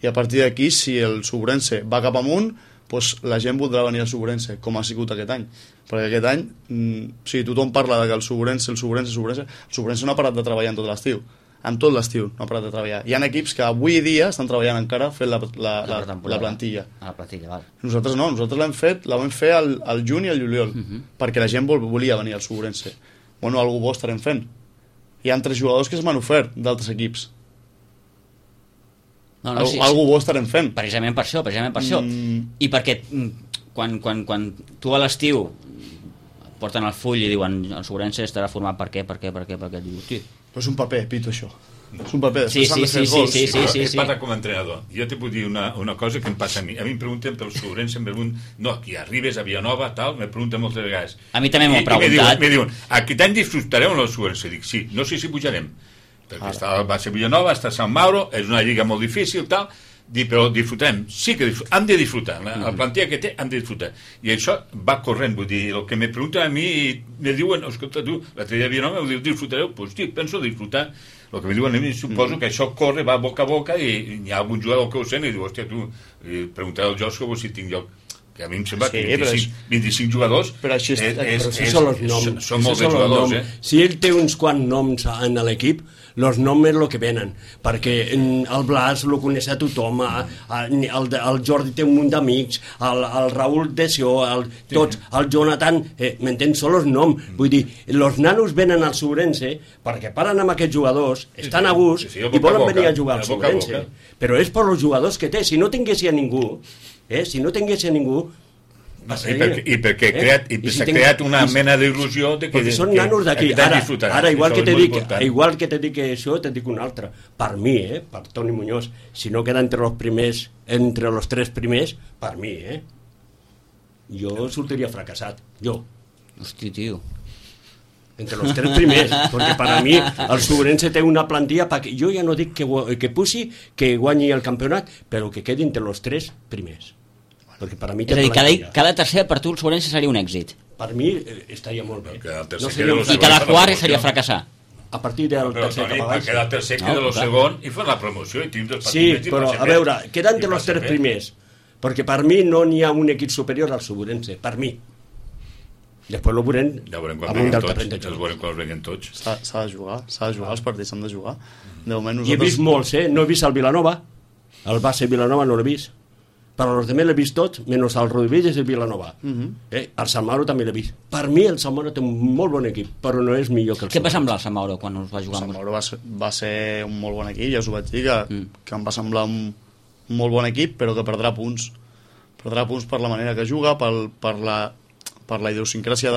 I a partir d'aquí, si el Segurense va cap amunt, doncs la gent voldrà venir al Segurense, com ha sigut aquest any. Perquè aquest any, tothom parla de que el Segurense no ha parat de treballar en tot l'estiu. En tot l'estiu no ha parat de treballar. Hi ha equips que avui dia estan treballant encara fent la plantilla. La plantilla, val. Nosaltres no, la vam fer al juny i al juliol, perquè la gent volia venir al Segurense. Bueno, algú bo estarem fent. Hi ha 3 jugadors que es m'han ofert d'altres equips. Algú bo estarem fent. Precisament per això. I perquè quan tu a l'estiu porten el full i diuen el Segurense estarà format per què? Diu, hosti, però és un paper, Pito, això. És un paper, després s'han de fer gols. Sí. Parla com a entrenador. Jo te puc dir una cosa que em passa a mi. A mi em pregunten pel Segurense, aquí arribes a Villanova, tal, me pregunten moltes vegades. A mi també m'ho han preguntat. Me diuen, aquest any disfrutareu en el Segurense? Dic, sí, no sé si pujarem. Perquè va ser Villanova, està Sant Mauro, és una lliga molt difícil, tal, però disfrutarem, sí que hem de disfrutar, la plantilla que té hem de disfrutar, i això va corrent, vull dir, el que me pregunten a mi me diuen, escolta tu, l'altre dia Villanova ho diu, disfrutareu? Doncs sí, penso disfrutar, el que me diuen a mi suposo que això corre, va boca a boca i hi ha algun jugador que ho sent i diu, hòstia tu, preguntaré al Josco si tinc lloc, que a mi em sembla que 25 jugadors són molts jugadors. Si ell té uns quants noms en l'equip, els noms és el que venen, perquè el Blas el coneix a tothom, el Jordi té un munt d'amics, el Raül Desió, tots, el Jonathan, m'entens? Són els noms. Vull dir, els nanos venen al Segurense perquè paren amb aquests jugadors, estan a gust i volen venir a jugar al Segurense. Però és per els jugadors que té. Si no tinguessin a ningú, i perquè s'ha creat una mena d'il·lusió de que són nanos d'aquí. Ara igual que te dic això, te dic un altre. Per mi, per Toni Muñoz, si no queda entre los 3 primers, per mi, jo sortiria fracassat, jo. Hosti, tio. Entre los 3 primers, perquè per a mi el Segurense té una plantilla, jo ja no dic que pugi, que guanyi el campionat, però que quedi entre los 3 primers. Perquè per a mi és a dir, cada tercer per tu el Segurense seria un èxit. Per mi estaria molt bé. I cada quart seria fracassar. A partir del tercer cap a baix. Queda el tercer, queda el segon i fa la promoció. Sí, però a veure, queda entre els 3 primers, perquè per mi no n'hi ha un equip superior al Segurense, per mi. Després ho veurem amunt del terreny de joc. Els veurem quan els venguen tots. S'ha de jugar, els partits s'han de jugar. De moment I he vist molts, no he vist el Vilanova, el base Vilanova no l'he vist, però els altres l'he vist tots, menys el Rodríguez i el Vilanova. El Sant Mauro també l'he vist. Per mi el Sant Mauro té un molt bon equip, però no és millor que el Què va semblar el Sant Mauro quan us va jugar? El Sant Mauro va ser un molt bon equip, ja us ho vaig dir, que em va semblar un molt bon equip, però que perdrà punts. Perdrà punts per la manera que juga, per la idiosincràsia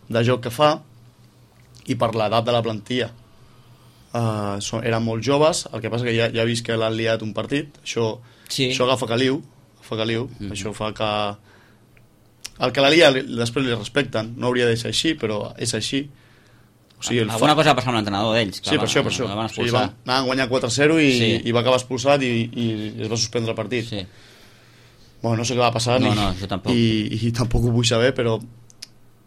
de joc que fa i per l'edat de la plantilla. Eren molt joves, el que passa que ja he vist que l'han liat un partit, això agafa caliu, això fa que el que la lia després li respecten, no hauria de ser així, però és així. O sigui, alguna cosa va passar amb l'entrenador d'ells. Sí, per això. Anaven a guanyar 4-0 i va acabar expulsat i es va suspendre el partit. Sí. Bueno, no sé què va passar jo tampoc. I tampoc ho vull saber, però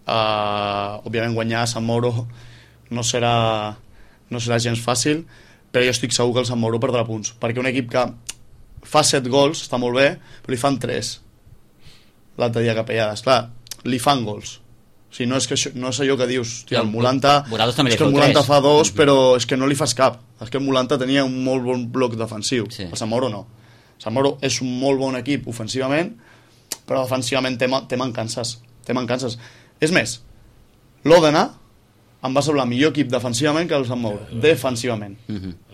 òbviament guanyar a Sant Mauro no serà gens fàcil, però jo estic segur que el Sant Mauro perdrà punts, perquè un equip que fa 7 gols, està molt bé, però li fan 3 l'altre dia a Capellades. Clar, li fan gols. O sigui, no és allò que dius, hòstia, el Mulanta, és que el Mulanta fa 2, però és que no li fas cap. És que el Mulanta tenia un molt bon bloc defensiu. El Sant Mauro no. El Sant Mauro és un molt bon equip ofensivament, però defensivament té mancances. És més, l'Òdena em va semblar millor equip defensivament que el Sant Mauro. Defensivament.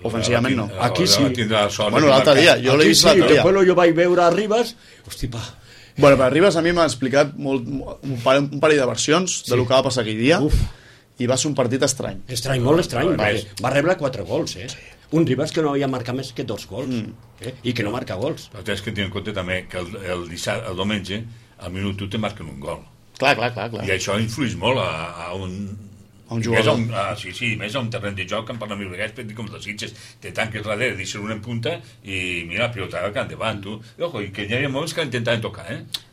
Ofensivament no. Aquí sí. Bueno, l'altre dia, jo l'he vist l'altre dia. Després jo vaig veure a Ribas, hosti, pa. Bueno, per Ribas a mi m'ha explicat un parell de versions de lo que va passar aquell dia i va ser un partit estrany. Molt estrany. Va rebre 4 gols, Un Ribas que no havia marcat més que 2 gols i que no marca gols. Però tens que tenir en compte també que el diumenge al minut 1 te marquen un gol. Clar. I això influeix molt a un jugador. Més a un terreny de joc, en parla mil vegades, per dir com els Sitges, te tanques darrere, deixes una en punta i mira, la pilota que endavant, tu. I que hi havia moments que intentaven tocar,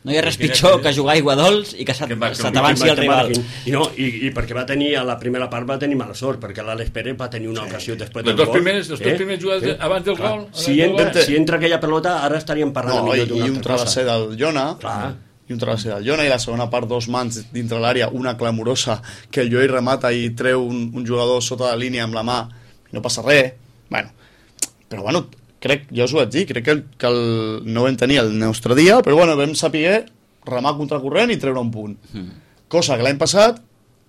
No hi ha res pitjor que jugar a Iguadols i que se t'avanci el rival. I perquè va tenir, a la primera part va tenir mala sort, perquè l'Àlex Pérez va tenir una ocasió després del gol. Les dos primers jugades abans del gol. Si entra aquella pelota, ara estaríem parlant millor d'una altra cosa. I un travesser del Jona, i la segona part, 2 mans dintre l'àrea, una clamorosa que el Llull remata i treu un jugador sota la línia amb la mà i no passa res. Però ja us ho vaig dir, crec que no vam tenir el nostre dia, però vam saber remar contracorrent i treure un punt, cosa que l'any passat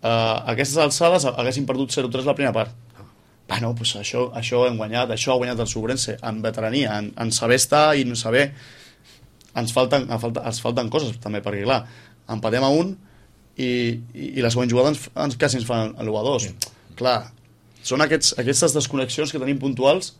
a aquestes alçades haguessin perdut 0-3 la primera part. Pues això hem guanyat, això ha guanyat el Sobrense en veterania, en saber estar i no saber. Ens falten coses també, perquè clar, empatem a 1 i la següent jugada quasi ens fan l'1-2. Clar, són aquestes desconnexions que tenim puntuals,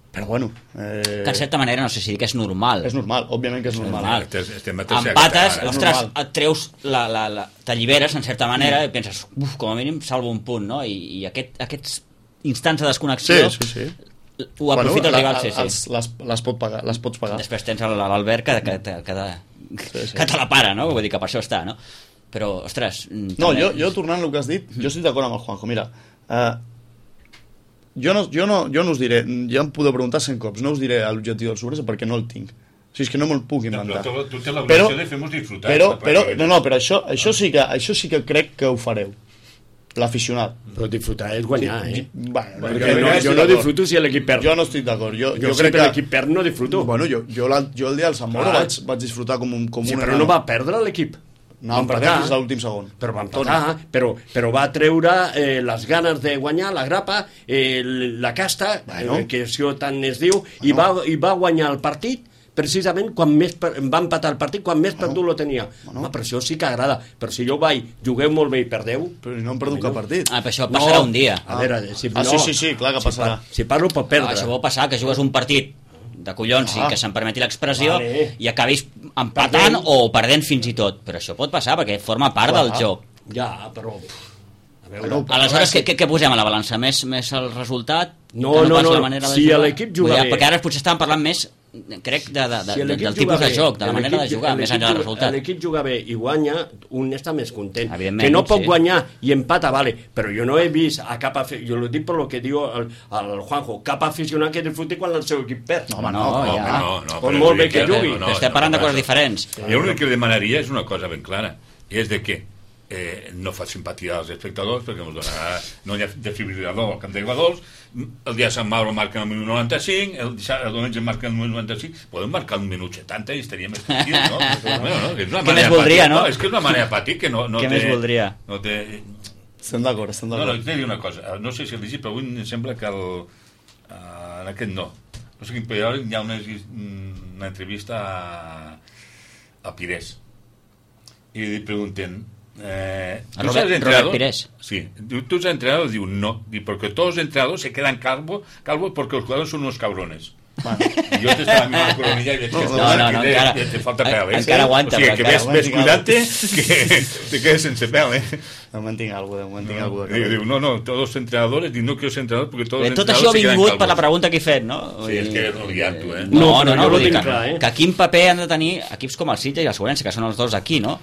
però bueno, que en certa manera no sé si dir que és normal. És normal, òbviament que és normal. Empates, ostres, et treus t'alliberes en certa manera i penses, com a mínim salvo un punt, no? I aquests instants de desconnexió ho aprofita el rival, les pots pagar. Després tens l'Albert que te la para, no? Vull dir que per això està, no? Però, ostres... No, jo tornant al que has dit, jo estic d'acord amb el Juanjo. Mira, jo no us diré, ja em podeu preguntar 100 cops, no us diré l'objectiu del Sobrense perquè no el tinc. O sigui, és que no me'l puc inventar. Tu tens l'obligació de fer-nos disfrutar. Però això sí que crec que ho fareu. L'aficionat. Però disfrutar és guanyar, jo no disfruto si l'equip perd. Jo no estic d'acord. Jo crec que l'equip perd no disfruto. Bueno, jo el dia del Sant Mauro vaig disfrutar com un... Sí, però no va perdre l'equip. No, va empatar fins a l'últim segon. Però va empatar, però va treure les ganes de guanyar, la grapa, la casta, que això tant es diu, i va guanyar el partit precisament quan més va empatar el partit, quan més perdut lo tenia. Per això sí que agrada. Però si jo jugueu molt bé i perdeu... Però no hem perdut cap partit. Però això passarà un dia. A veure, sí, clar que passarà. Si parlo pot perdre. Això pot passar, que jugues un partit de collons i que se'm permeti l'expressió i acabis empatant o perdent fins i tot. Però això pot passar perquè forma part del joc. Ja, però... Aleshores, què posem a la balança? Més el resultat? No, si l'equip juga bé... Perquè ara potser estàvem parlant més, crec, del tipus de joc, de la manera de jugar, més enllà del resultat. L'equip juga bé i guanya, un està més content. Que no pot guanyar i empata, vale, però jo no he vist a cap aficionat, jo ho dic per lo que diu el Juanjo, cap aficionat que disfruti quan el seu equip perd. No. Pot molt bé que jugui. Estem parlant de coses diferents. Jo l'únic que demanaria és una cosa ben clara. és de que no fa simpatia als espectadors perquè no hi ha desfibrilador al camp de Guadols, el dia de Sant Mauro marquen el minut 95, el diumenge marquen el minut 95, podem marcar el minut 70 i estaria més tranquil, no? Què més voldria, no? És que és una manera apàtica que no què més voldria? Estem d'acord. No, t'he de dir una cosa, no sé si el llegit, però avui em sembla que en aquest no sé quin periòdic hi ha una entrevista a Pires i li pregunten Robert Pires. Sí, ¿tú eres entrenador? Digo, no. Porque todos los entrenadores se quedan calvos porque los jugadores son unos cabrones. Bueno, jo t'estava mirant la coronilla i veig que te falta pèl, encara aguanta, o sigui, que ves cuidant-te que te quedes sense pèl, De moment tinc alguna cosa. Diu, no, todos los entrenadores, no quiero ser entrenador porque todos los entrenadors se quedan calvos. Tot això ha vingut per la pregunta que he fet, no? Sí, és que no liant tu, No, vull dir que quin paper han de tenir equips com el Sitges i el Segurense, que són els dos aquí, no?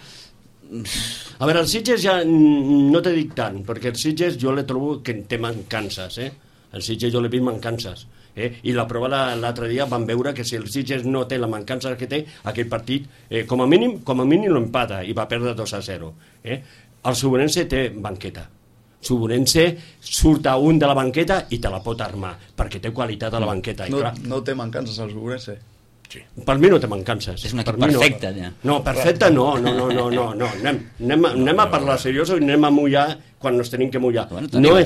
A veure, el Sitges ja no te dic tant, perquè el Sitges jo le trobo que té mancances, El Sitges jo l'he vist mancances. I la prova l'altre dia van veure que si el Sitges no té la mancança que té, aquell partit, com a mínim l'empata i va perdre 2-0. El Segurense té banqueta. Segurense surt a un de la banqueta i te la pot armar, perquè té qualitat a la banqueta. No té mancances el Segurense. Sí. Per mi no té mancances. És un equip perfecte, ja. No, perfecte no. Anem a parlar serioso i anem a mullar quan ens tenim que mullar. Bueno, no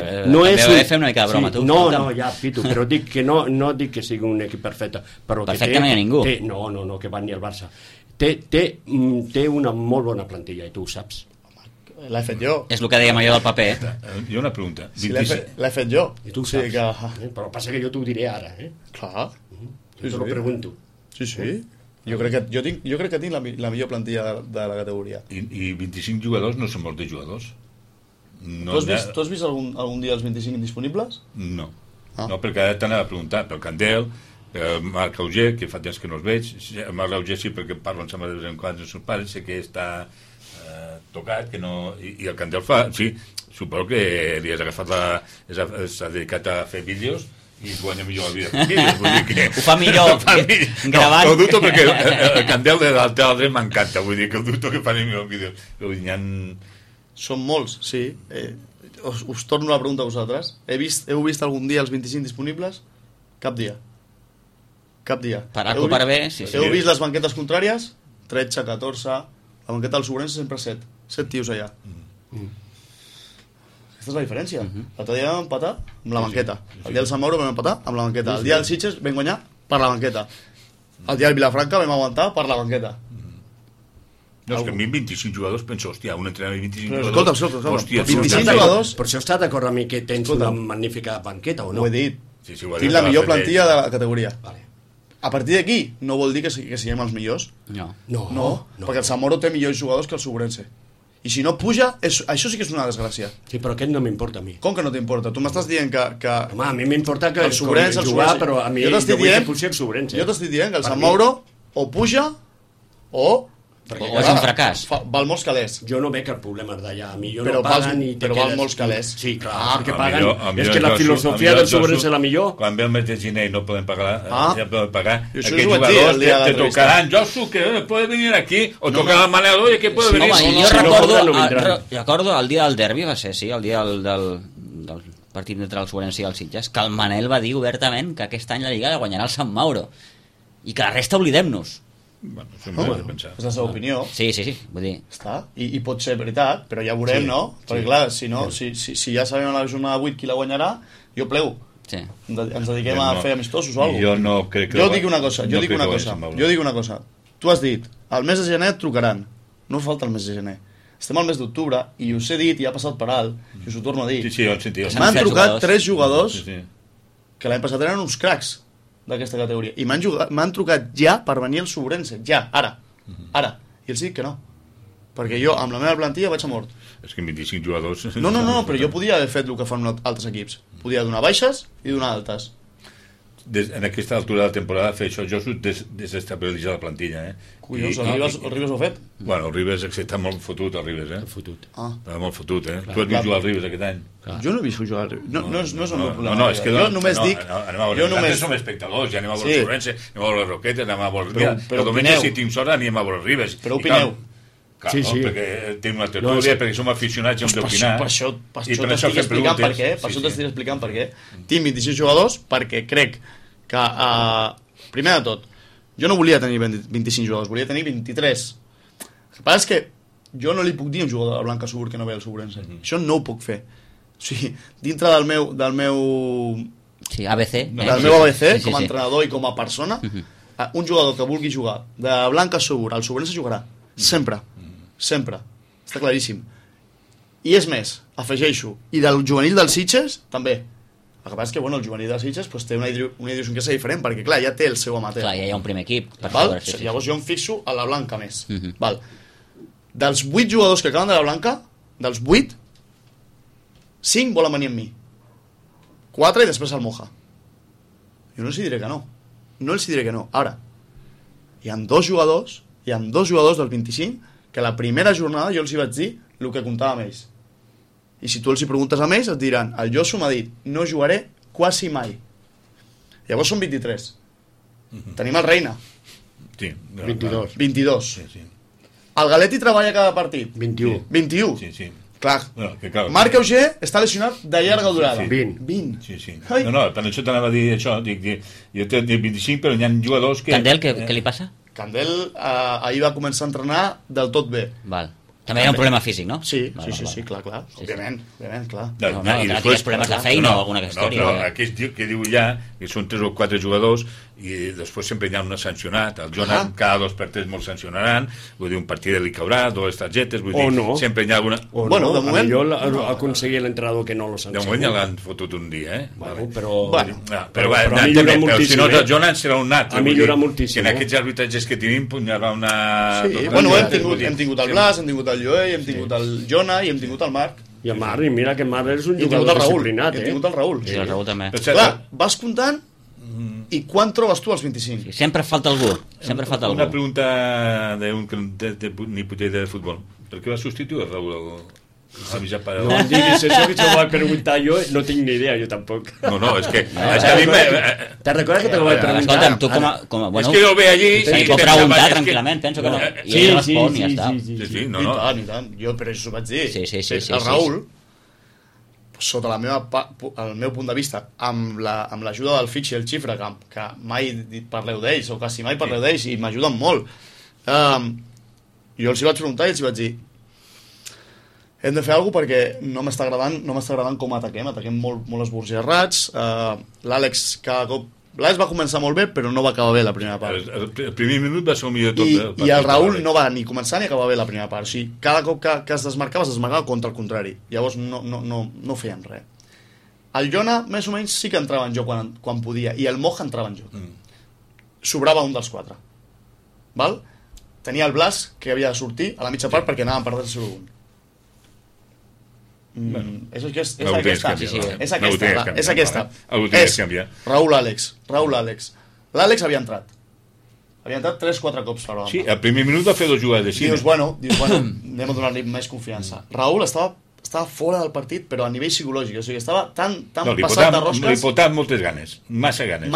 és també fer una mica de broma, tu. No, ja, Pitu, però dic que no dic que sigui un equip perfecte. Perfecte no hi ha ningú. No, que va ni el Barça. Té una molt bona plantilla i tu ho saps. L'he fet jo. És el que dèiem allò del paper. Jo una pregunta. Sí, l'he fet jo. I tu ho saps. Però passa que jo t'ho diré ara. Clar. Te lo pregunto. Sí. Jo crec que tinc la millor plantilla de la categoria. I 25 jugadors no són molts de jugadors. Tu has vist algun dia els 25 indisponibles? No. No, perquè ara t'anava a preguntar pel Candel, pel Marc Auger, que fa temps que no els veig. El Marc Auger sí, perquè parlo amb de vegades en quants els seus pares, sé que està tocat, que no... I el Candel fa... Sí, suposo que li has agafat s'ha dedicat a fer vídeos i es guanya millor la vida fent vídeos, vull dir que... Ho fa millor gravant. No, ho dubto perquè el Candel de l'altre dret m'encanta, vull dir que ho dubto que faré millor vídeos. Són molts, sí. Us torno la pregunta a vosaltres. Heu vist algun dia els 25 disponibles? Cap dia. Per A o per B, sí. Heu vist les banquetes contràries? 13, 14... La banqueta del Segurense sempre 7. 7 tios allà. Aquesta és la diferència. L'altre dia vam empatar amb la banqueta. El dia del Sant Mauro vam empatar amb la banqueta. El dia del Sitges vam guanyar per la banqueta. El dia del Vilafranca vam aguantar per la banqueta. No, és que a mi 25 jugadors penso, hòstia, un entrenador de 25 jugadors... Escolta, hòstia, 25 jugadors... Per això està d'acord amb mi que tens una magnífica banqueta, o no? Ho he dit. Tinc la millor plantilla de la categoria. A partir d'aquí no vol dir que siguem els millors. No, perquè el Sant Mauro té millors jugadors que el Segurense. I si no puja, això sí que és una desgràcia. Sí, però aquest no m'importa a mi. Com que no t'importa? Tu m'estàs dient que... Home, a mi m'importa que el Segurense jugar, però a mi jo vull que pugi el Segurense. Jo t'estic dient que el Sant Mauro o puja o és un fracàs. Val molts calés. Jo no veig el problema d'allà. A mi jo no paguen i te però val molts calés. Sí, clar, perquè paguen. És que la filosofia del Segurense és la millor. Quan ve el mes de gener i no podem pagar, aquests jugadors te tocaran. Josu, que puede venir aquí, o tocar el Manel, oye, que puede venir. Home, jo recordo el dia del derbi, va ser, sí, el dia del partit entre el Segurense i el Sitges, que el Manel va dir obertament que aquest any la Lliga la guanyarà el Sant Mauro i que la resta oblidem-nos. Bueno, és la seva opinió. Sí, vull dir. Està, i pot ser veritat, però ja veurem, no? Perquè clar, si ja sabem a la jornada 8 qui la guanyarà, jo plego. Sí. Ens dediquem a fer amistosos o alguna cosa. Jo no crec que... Jo dic una cosa. Tu has dit, al mes de gener et trucaran. No falta el mes de gener. Estem al mes d'octubre i us he dit, i ha passat per alt, i us ho torno a dir. Sí, ho he sentit. M'han trucat 3 jugadors que l'any passat eren uns cracs d'aquesta categoria. I m'han trucat ja per venir al Segurense. Ja, ara. I els dic que no. Perquè jo, amb la meva plantilla, vaig a mort. És que 25 jugadors... No, però jo podia haver fet el que fan altres equips. Podia donar baixes i donar altes. En aquesta altura de la temporada fer això, jo desestabilitzar la plantilla, Collons, el Ribes ho ha fet? Bueno, el Ribes està molt fotut, el Ribes, Fotut. Està molt fotut, Tu has vist jugar al Ribes aquest any? Jo no he vist jugar al Ribes. No és el meu problema. No, és que... Jo només dic... Nosaltres som espectadors, ja anem a veure el Segurense, anem a veure les Roquetes, anem a veure... El diumenge, si tinc sort, anem a veure el Ribes. Però opineu. Clar, sí, sí. Perquè tenim una tertúlia, perquè som aficionats i hem d'opinar. Per això t'estic explicant per què. Per això t'estic explicant per què. Tinc 26 jugadors perquè crec que, primer de tot, jo no volia tenir 25 jugadors, volia tenir 23. El que passa és que jo no li puc dir a un jugador de la Blanca Subur que no ve al Subrense. Això no ho puc fer. O sigui, dintre del meu sí, ABC, del meu ABC, com a entrenador i com a persona, un jugador que vulgui jugar de Blanca Subur al Subrense jugarà. Sempre. Sempre. Està claríssim. I és més, afegeixo, i del juvenil dels Sitges, també. El que passa és que el juvenil dels Sitges té una idiosincràsia diferent, perquè clar, ja té el seu amateur. Clar, ja hi ha un primer equip. Llavors jo em fixo a la Blanca més. Val. Dels 8 jugadors que acaben de la Blanca, dels 8, 5 volen venir amb mi. 4 i després el Moja. Jo no els diré que no. No els diré que no. Ara, hi ha 2 jugadors del 25 que la primera jornada jo els hi vaig dir el que comptava amb ells. I si tu els hi preguntes a ells et diran, el Josu m'ha dit, no jugaré quasi mai. Llavors són 23. Tenim el Reina. Sí, 22. Sí. El Galetti treballa cada partit. 21. Sí. Clar. Marc Auger està lesionat de llarga durada. 20. Sí. No, per això t'anava a dir això. Jo té 25, però hi ha jugadors que... Candel, què li passa? Candel ahir va començar a entrenar del tot bé. Val. També hi ha un problema físic, no? Sí, clar. Òbviament, clar. No, tenies problemes de feina o alguna història. No, aquí que diu ja que són 3 o 4 jugadors i després sempre hi ha un sancionat. El Jonas cada 2 per 3 molt sancionaran, vull dir, un partit li caurà, 2 targetes, vull dir, sempre hi ha alguna... Bueno, de moment... Millor aconseguir l'entrenador que no lo sancioni. De moment ja l'han fotut un dia, Però si no, el Jonas serà un nat. Ha millorat moltíssim. En aquests arbitratges que tenim, hi haurà una... Sí, bueno, hem tingut el Blas, hem tingut el Joey, hem tingut el Jona i hem tingut el Marc. I el Marc, mira que el Marc és un jugador disciplinat, Hem tingut el Raül. Sí, el Raül també. Clar, vas comptant i quan trobes tu els 25? Sempre falta algú. Una pregunta d'un nipotet de futbol. Per què va substituir el Raül? No em diguis això, que això ho vaig preguntar jo, no tinc ni idea, jo tampoc. No, és que a mi Te'n recordes que te ho vaig preguntar? Escolta'm, tu com a... És que jo el veig allí... Sí, pot preguntar tranquil·lament, penso que no. I ell respon i ja està. Sí, no. I tant, jo per això ho vaig dir. Sí. El Raül, sota el meu punt de vista, amb l'ajuda del Fitch i el Xifra, que mai parleu d'ells, o quasi mai parleu d'ells, i m'ajuden molt, jo els hi vaig preguntar i els hi vaig dir, hem de fer alguna cosa perquè no m'està agradant com ataquem molt esborgerrats. L'Àlex cada cop... L'Àlex va començar molt bé, però no va acabar bé la primera part. El primer minut va ser el millor de tot. I el Raül no va ni començar ni acabar bé la primera part. O sigui, cada cop que es desmarcava contra el contrari. Llavors no feien res. El Jona, més o menys, sí que entrava en joc quan podia, i el Moja entrava en joc. Sobrava un dels 4. Val? Tenia el Blas, que havia de sortir a la mitja part perquè anàvem per 0-1. És aquesta. Raül Àlex. L'Àlex havia entrat 3-4 cops per hora. Sí, al primer minut va fer 2 jugades. Dius, bueno, anem a donar-li més confiança. Raül estava fora del partit, però a nivell psicològic, o sigui, estava tan passat de rosques. Li portava moltes ganes, massa ganes.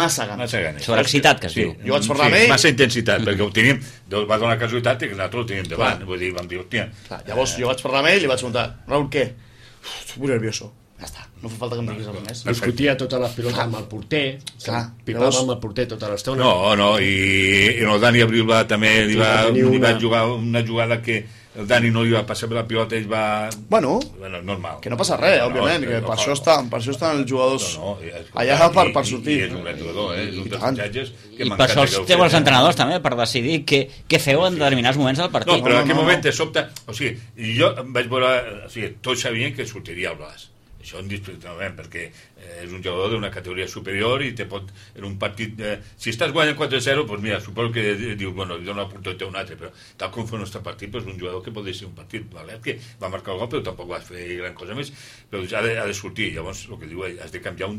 Sobreexcitat, que es diu. Jo vaig parlar amb ell. Massa intensitat, perquè ho teníem, va donar casualitat que nosaltres ho teníem davant. Vull dir, vam dir, hòstia. Llavors jo vaig parlar amb ell i li vaig preguntar, Raül, què? Estic molt nervioso. Ja està, no fa falta que em diguis res més. Discutia totes les pilotes amb el porter, pipava amb el porter tota l'estona. No, i el Dani Abril també li va jugar una jugada que el Dani no li va passar per la pilota, ell va... Bueno, normal. Que no passa res, òbviament, que per això estan els jugadors allà per sortir. I és un gran jugador, és un dels fitxatges que i per això els teu els entrenadors també, per decidir què feu en determinats moments del partit. No, però en aquell moment de sobte... O sigui, jo vaig veure... O sigui, tots sabien que sortiria el Blas. Això indiscutiblement, perquè és un jugador d'una categoria superior i te pot, en un partit... si estàs guanyant 4-0, doncs mira, suposo que dius, bueno, li dona una oportunitat a un altre, però tal com fa el nostre partit, doncs un jugador que pot ser un partit valent, que va marcar el gol, però tampoc va fer gran cosa més, però ha de sortir. Llavors, el que diu, has de canviar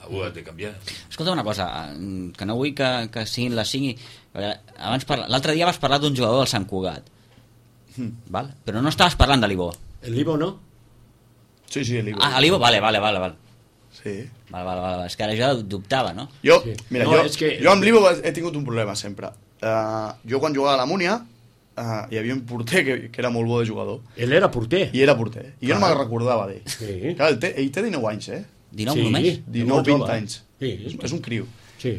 algú has de canviar. Escolta una cosa, que no vull que siguin les 5... L'altre dia vas parlar d'un jugador del Sant Cugat, val? Però no estaves parlant de l'Ivo. El Ivo, no? Sí, l'Ivo. L'Ivo, vale. Sí. Vale. És que ara jo dubtava, no? Mira, jo amb l'Ivo he tingut un problema sempre. Jo quan jugava a la Múnia hi havia un porter que era molt bo de jugador. Ell era porter. I era porter. I jo no me'n recordava d'ell. Sí. Clar, ell té 19 anys, 19 només? 19-20 anys. Sí. És un criu. Sí.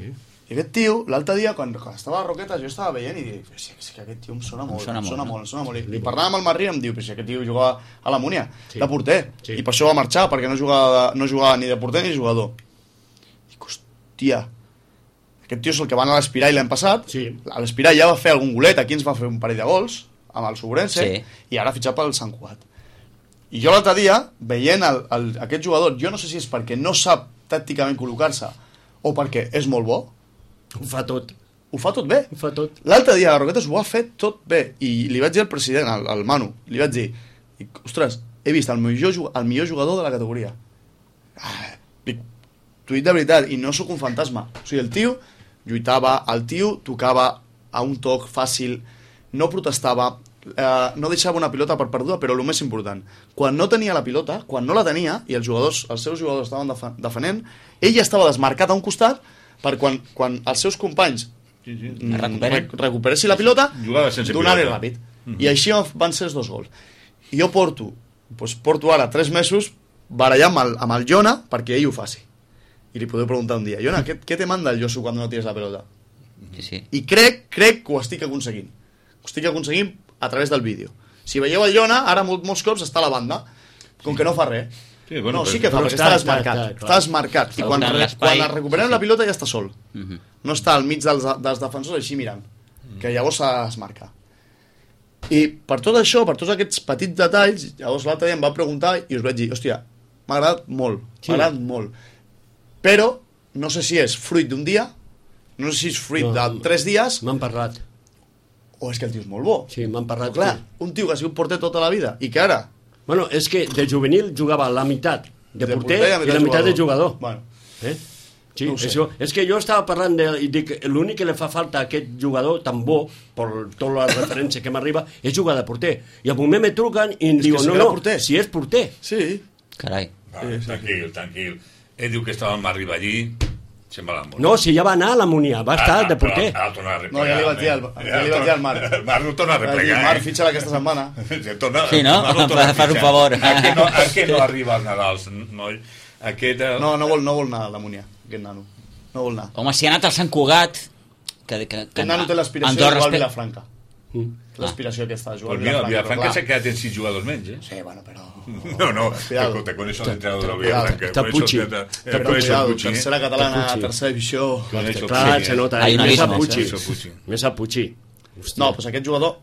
I aquest tio, l'altre dia, quan estava a Roquetes, jo estava veient i dic, és que aquest tio em sona molt. I parlant amb el Marrí em diu, però si aquest tio jugava a la Múnia, de porter. I per això va marxar, perquè no jugava ni de porter ni de jugador. Dic, hòstia, aquest tio és el que va anar a l'Espirall l'any passat. A l'Espirall ja va fer algun golet, aquí ens va fer un parell de gols, amb el Sobrense, i ara ha fitxat pel Sant Cugat. I jo l'altre dia, veient aquest jugador, jo no sé si és perquè no sap tàcticament col·locar-se o perquè és molt bo. Ho fa tot. Ho fa tot bé. Ho fa tot. L'altre dia a Roquetes ho ha fet tot bé. I li vaig dir al president, al Manu, li vaig dir, ostres, he vist el millor jugador de la categoria. T'ho dic de veritat, i no sóc un fantasma. O sigui, el tio lluitava, el tio tocava a un toc fàcil, no protestava, no deixava una pilota per perduda, però el més important, quan no tenia la pilota, quan no la tenia, i els seus jugadors estaven defenent, ell ja estava desmarcat a un costat per quan els seus companys recuperessin la pilota, donar-li ràpid. I així van ser els 2 gols. I jo porto ara 3 mesos barallant amb el Jona perquè ell ho faci. I li podeu preguntar un dia, Jona, què te manda el Josu quan no tires la pelota? I crec que ho estic aconseguint. Ho estic aconseguint a través del vídeo. Si veieu el Jona, ara molts cops està a la banda, com que no fa res. Sí que fa, perquè està desmarcat. Està desmarcat. I quan recuperem la pilota ja està sol. No està al mig dels defensors així mirant. Que llavors s'ha de desmarcar. I per tot això, per tots aquests petits detalls, llavors l'altre dia em va preguntar i us vaig dir, hòstia, m'ha agradat molt. Però no sé si és fruit d'un dia, no sé si és fruit de 3 dies. M'han parlat. O és que el tio és molt bo. Sí, m'han parlat. Clar, un tio que ha sigut porter tota la vida i que ara... Bueno, és que de juvenil jugava la meitat de porter i la meitat de jugador. Bueno. Sí, no això, és que jo estava parlant i dic, l'únic que li fa falta a aquest jugador tan bo, per tota la referència que m'arriba, és jugar de porter. I al moment me truquen i em diuen, si és porter. Sí. Carai. Tranquil. Ell diu que estava amb Marriba allí, se'n va l'amor. No, si ja va anar a la Múnia, va estar de porter. No, ja li vaig dir al Marc. El Marc no torna a replegar. Marc, fitxa-la aquesta setmana. Sí, no? Fas un favor. A què no arriba als Nadals, noi? No vol anar a la Múnia, aquest nano. No vol anar. Home, si ha anat al Sant Cugat... Aquest nano té l'aspiració de jugar al Vilafranca. L'aspiració aquesta, jugar al Vilafranca. El Vilafranca s'ha quedat en 6 jugadors menys, Sí, bueno, però... No, escolta, con eso l'entrenador del Vilafranca. Està Pucci. Tercera catalana, tercera divisió... Clar, se nota. Més a Pucci. No, doncs aquest jugador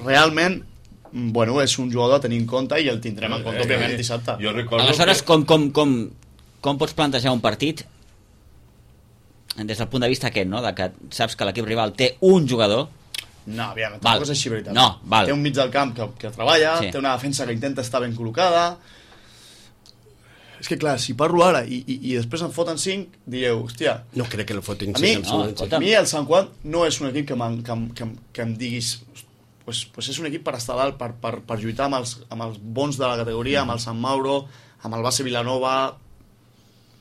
realment... Bueno, és un jugador a tenir en compte i el tindrem en compte, òbviament, dissabte. Aleshores, com pots plantejar un partit des del punt de vista aquest, no? De que saps que l'equip rival té un jugador. No, aviam, tampoc és així, veritat. No, val. Té un mig del camp que treballa, té una defensa que intenta estar ben col·locada. És que clar, si parlo ara i després em foten 5, dieu, hòstia... No crec que el fotin 5. A mi el Sant Juan no és un equip que em diguis... Pues és un equip per estar dalt, per lluitar amb els bons de la categoria, amb el Sant Mauro, amb el Base Vilanova...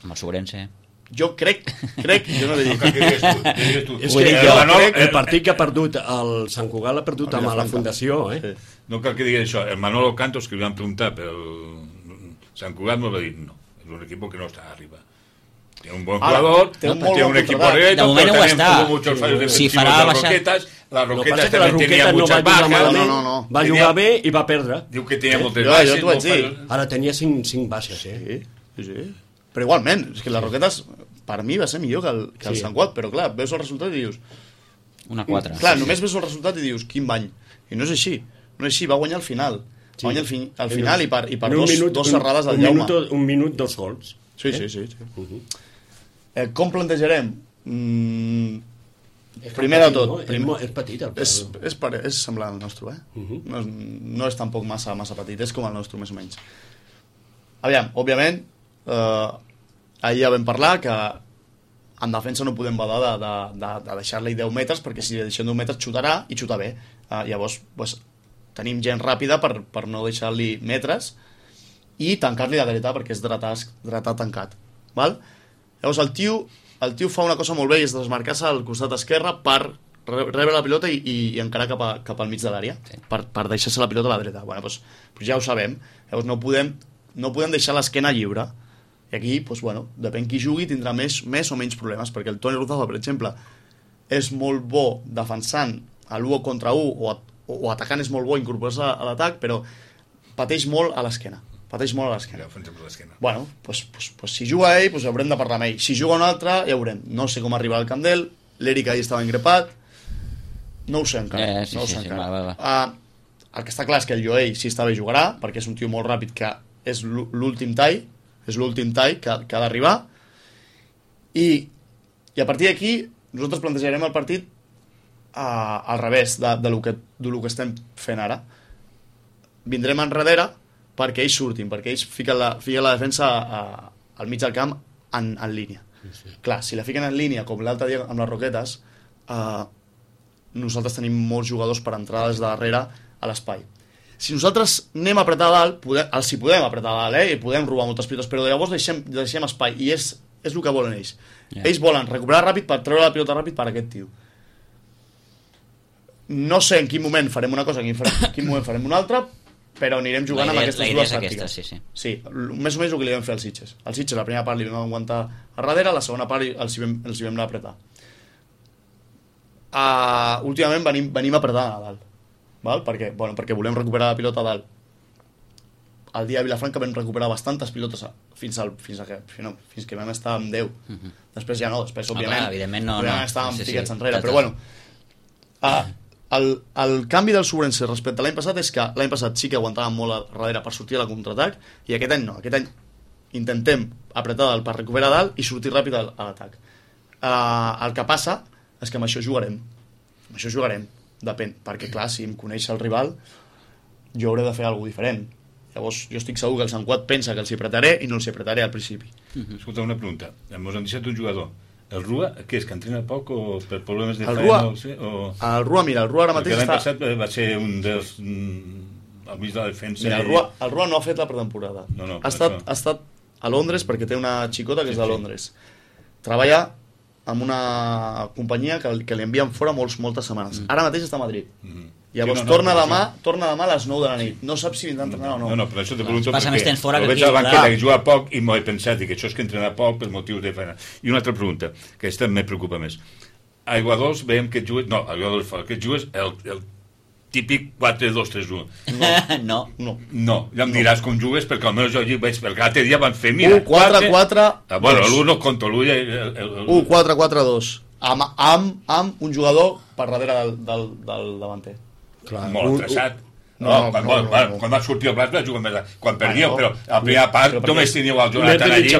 Amb el Sobrense... Jo crec, jo no dic. És que el partit que ha perdut el Sant Cugat l'ha perdut amb la Fundació, Sí. No cal que digui això. El Manolo Cantos, que li van preguntar pel Sant Cugat, no va dir no. És un equip que no està arriba. Té un bon jugador, té un equip correcto, de moment ho està. Si farà baixar... La Roquetas també tenia muchas bajas. No. Va jugar bé i va perdre. Diu que tenia moltes baixes. Jo t'ho vaig dir. Ara tenia 5 baixes, Sí. Però igualment, és que la Roquetas per mi va ser millor que el Sant Cugat, però clar, veus el resultat i dius... Una 4. Clar, només veus el resultat i dius, quin bany. I no és així, va guanyar al final. Va guanyar al final i per dos serrades del Jaume. Un minut, 2 gols. Sí. Com plantejarem? Primer de tot... És petit, el és semblant al nostre, No és tampoc massa petit, és com el nostre, més o menys. Aviam, òbviament, ahir ja vam parlar que en defensa no podem badar de deixar-li 10 metres, perquè si li deixem 10 metres xutarà i xuta bé. Llavors tenim gent ràpida per no deixar-li metres i tancar-li de dreta perquè és dretà tancat, val? Llavors el tio fa una cosa molt bé i és desmarcar-se al costat esquerre per rebre la pilota i encarar cap al mig de l'àrea, per deixar-se la pilota a la dreta. Bueno, doncs ja ho sabem. Llavors no podem deixar l'esquena lliure. I aquí, bueno, depèn qui jugui, tindrà més o menys problemes, perquè el Toni Ruzafa, per exemple, és molt bo defensant a l'1 contra 1 o atacant és molt bo incorporar-se a l'atac, però pateix molt a l'esquena. Bueno, doncs si juga ell, haurem de parlar amb ell. Si juga un altre, ja veurem. No sé com arribarà el camp d'ell, l'Eric ahir estava ingrepat, no ho sé encara. El que està clar és que el Joel, si està bé, jugarà, perquè és un tio molt ràpid, que és l'últim tall que ha d'arribar, i a partir d'aquí nosaltres plantejarem el partit al revés de lo que estem fent ara. Vindrem enrere perquè ells surtin, perquè ells fiquen la defensa al mig del camp en línia. Clar, si la fiquen en línia, com l'altre dia amb les Roquetes, nosaltres tenim molts jugadors per entrar des de darrere a l'espai. Si nosaltres anem a apretar a dalt, els hi podem apretar a dalt, i podem robar moltes pilotes, però llavors deixem espai, i és el que volen ells. Ells volen recuperar ràpid per treure la pilota ràpid per aquest tio. No sé en quin moment farem una cosa, en quin moment farem una altra, però anirem jugant amb aquestes dues tàctiques. Sí, més o menys el que li vam fer als Sitges. Als Sitges la primera part li vam aguantar a darrere, la segona part els hi vam anar a apretar. Últimament venim a apretar a dalt, perquè volem recuperar la pilota a dalt. El dia de Vilafranca vam recuperar bastantes pilotes fins que vam estar amb 10. Després ja no, òbviament no estàvem tiquets enrere, però bueno, el canvi del Sobrense respecte a l'any passat és que l'any passat sí que aguantàvem molt a darrere per sortir a la contraatac, i aquest any no. Aquest any intentem apretar dalt per recuperar dalt i sortir ràpid a l'atac. El que passa és que amb això jugarem. Depèn, perquè clar, si em coneix el rival, jo hauré de fer alguna cosa diferent. Llavors jo estic segur que el Sant Cuat pensa que els hi apretaré i no els hi apretaré al principi. Escolta, una pregunta. Ens han deixat un jugador. El Rua, què és, que entrena poc o per problemes de feina? El Rua, mira, el Rua ara mateix l'any passat va ser un dels al mig de la defensa. Mira, el Rua no ha fet la pretemporada. Ha estat a Londres perquè té una xicota que és de Londres. Treballa amb una companyia que li envien fora moltes setmanes. Ara mateix està a Madrid. Llavors torna demà a les 9 de la nit. No sap si vindrà a entrenar o no. No, però això te pregunto perquè ho veig a la banqueta que juga poc i m'ho he pensat que això és que entrena poc per motius de feina. I una altra pregunta, que aquesta me preocupa més. A Aiguadols veiem que jugues... No, a Aiguadols fora, que jugues el típic 4-2-3-1. No, ja em diràs com jugues, perquè almenys jo veig, perquè l'altre dia van fer, mira... 1-4-4... Bueno, l'1 no conto, l'1... 1-4-4-2. Amb un jugador per darrere del davanter. Molt atreçat. Quan va sortir el Blas va jugar més... Quan perdíeu, però a la primera part només teníeu el Jonathan allí.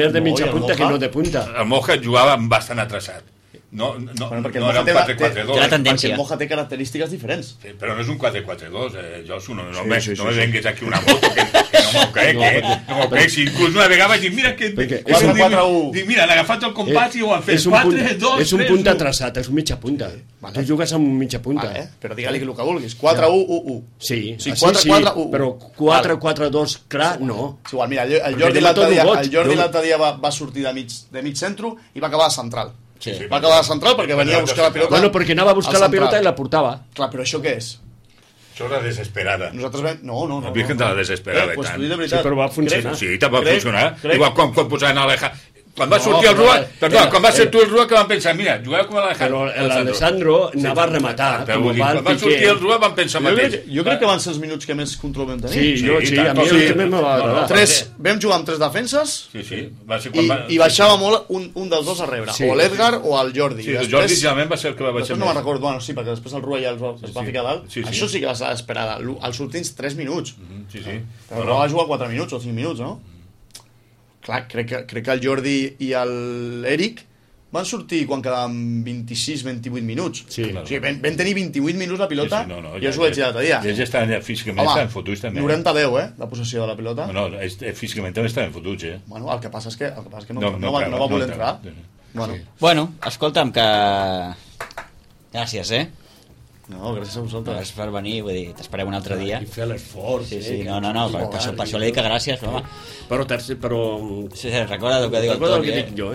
Més de mitja punta que no de punta. El Moja jugava bastant atreçat. No era un 4-4-2. Perquè el Moja té característiques diferents. Però no és un 4-4-2, Josu. No me vengues aquí una moto, que no m'ho crec. No m'ho crec. Si inclús una vegada vaig dir, mira que... 4-4-1. Mira, han agafat el compàs i ho han fet. 4-2-3-1. És un punta atreçat, és un mitja punta. Tu jugues amb mitja punta. Però digue-li el que vulguis. 4-1-1-1. Sí, 4-4-1. Però 4-4-2, clar, no. És igual, mira, el Jordi l'altre dia va sortir de mig centre i va acabar de central. Va acabar de central perquè venia a buscar la pilota. Bueno, perquè anava a buscar la pilota i la portava. Clar, però això què és? Això és la desesperada. Nosaltres vam... No. La Virgen de la desesperada i tant. Sí, però va funcionar. Sí, va funcionar. Igual quan posaven Aleja... Quan va sortir el Rua, quan va ser tu el Rua, que van pensar, mira, jugava com l'Alejandro. Però l'Alessandro anava a rematar. Quan va sortir el Rua van pensar mateix. Jo crec que van ser els minuts que més control vam tenir. Sí, a mi el que més m'ha agradat. Vam jugar amb 3 defenses i baixava molt un dels dos a rebre, o l'Edgar o el Jordi. Sí, el Jordi generalment va ser el que va baixar més. No me'n recordo, bueno, sí, perquè després el Rua ja es va ficar dalt. Això sí que va ser desesperada, els últims 3 minuts. Però no va jugar 4 minuts o 5 minuts, no? Clar, crec que el Jordi i l'Eric van sortir quan quedaven 26-28 minuts. Sí, o sigui, vam tenir 28 minuts la pilota i jo us ho vaig dir l'altre dia. Ells estaven físicament estaven fotuts també. 90-10, de possessió de la pilota. No, físicament també estaven fotuts, Bueno, el que passa és que no va voler entrar. Bueno, escolta'm, que... Gràcies, No, gràcies a vosaltres. Gràcies per venir, vull dir, t'esperem un altre dia. I fer l'esforç. Sí, no, per això li dic que gràcies, home. Però... Sí, recorda el que diu el Toni. Recorda el que dic jo,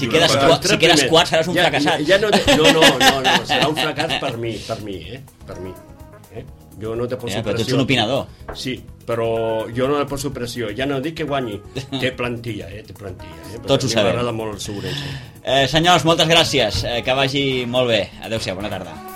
Si quedes quart seràs un fracassat. No, serà un fracàs per mi, per mi. Jo no te poso pressió. Però tu ets un opinador. Sí, però jo no le poso pressió. Ja no dic que guanyi. Té plantilla, té plantilla. Tots ho sabem. M'agrada molt el Segurense. Senyors, moltes gràcies. Que vagi molt bé. Adéu-siau, bona tarda.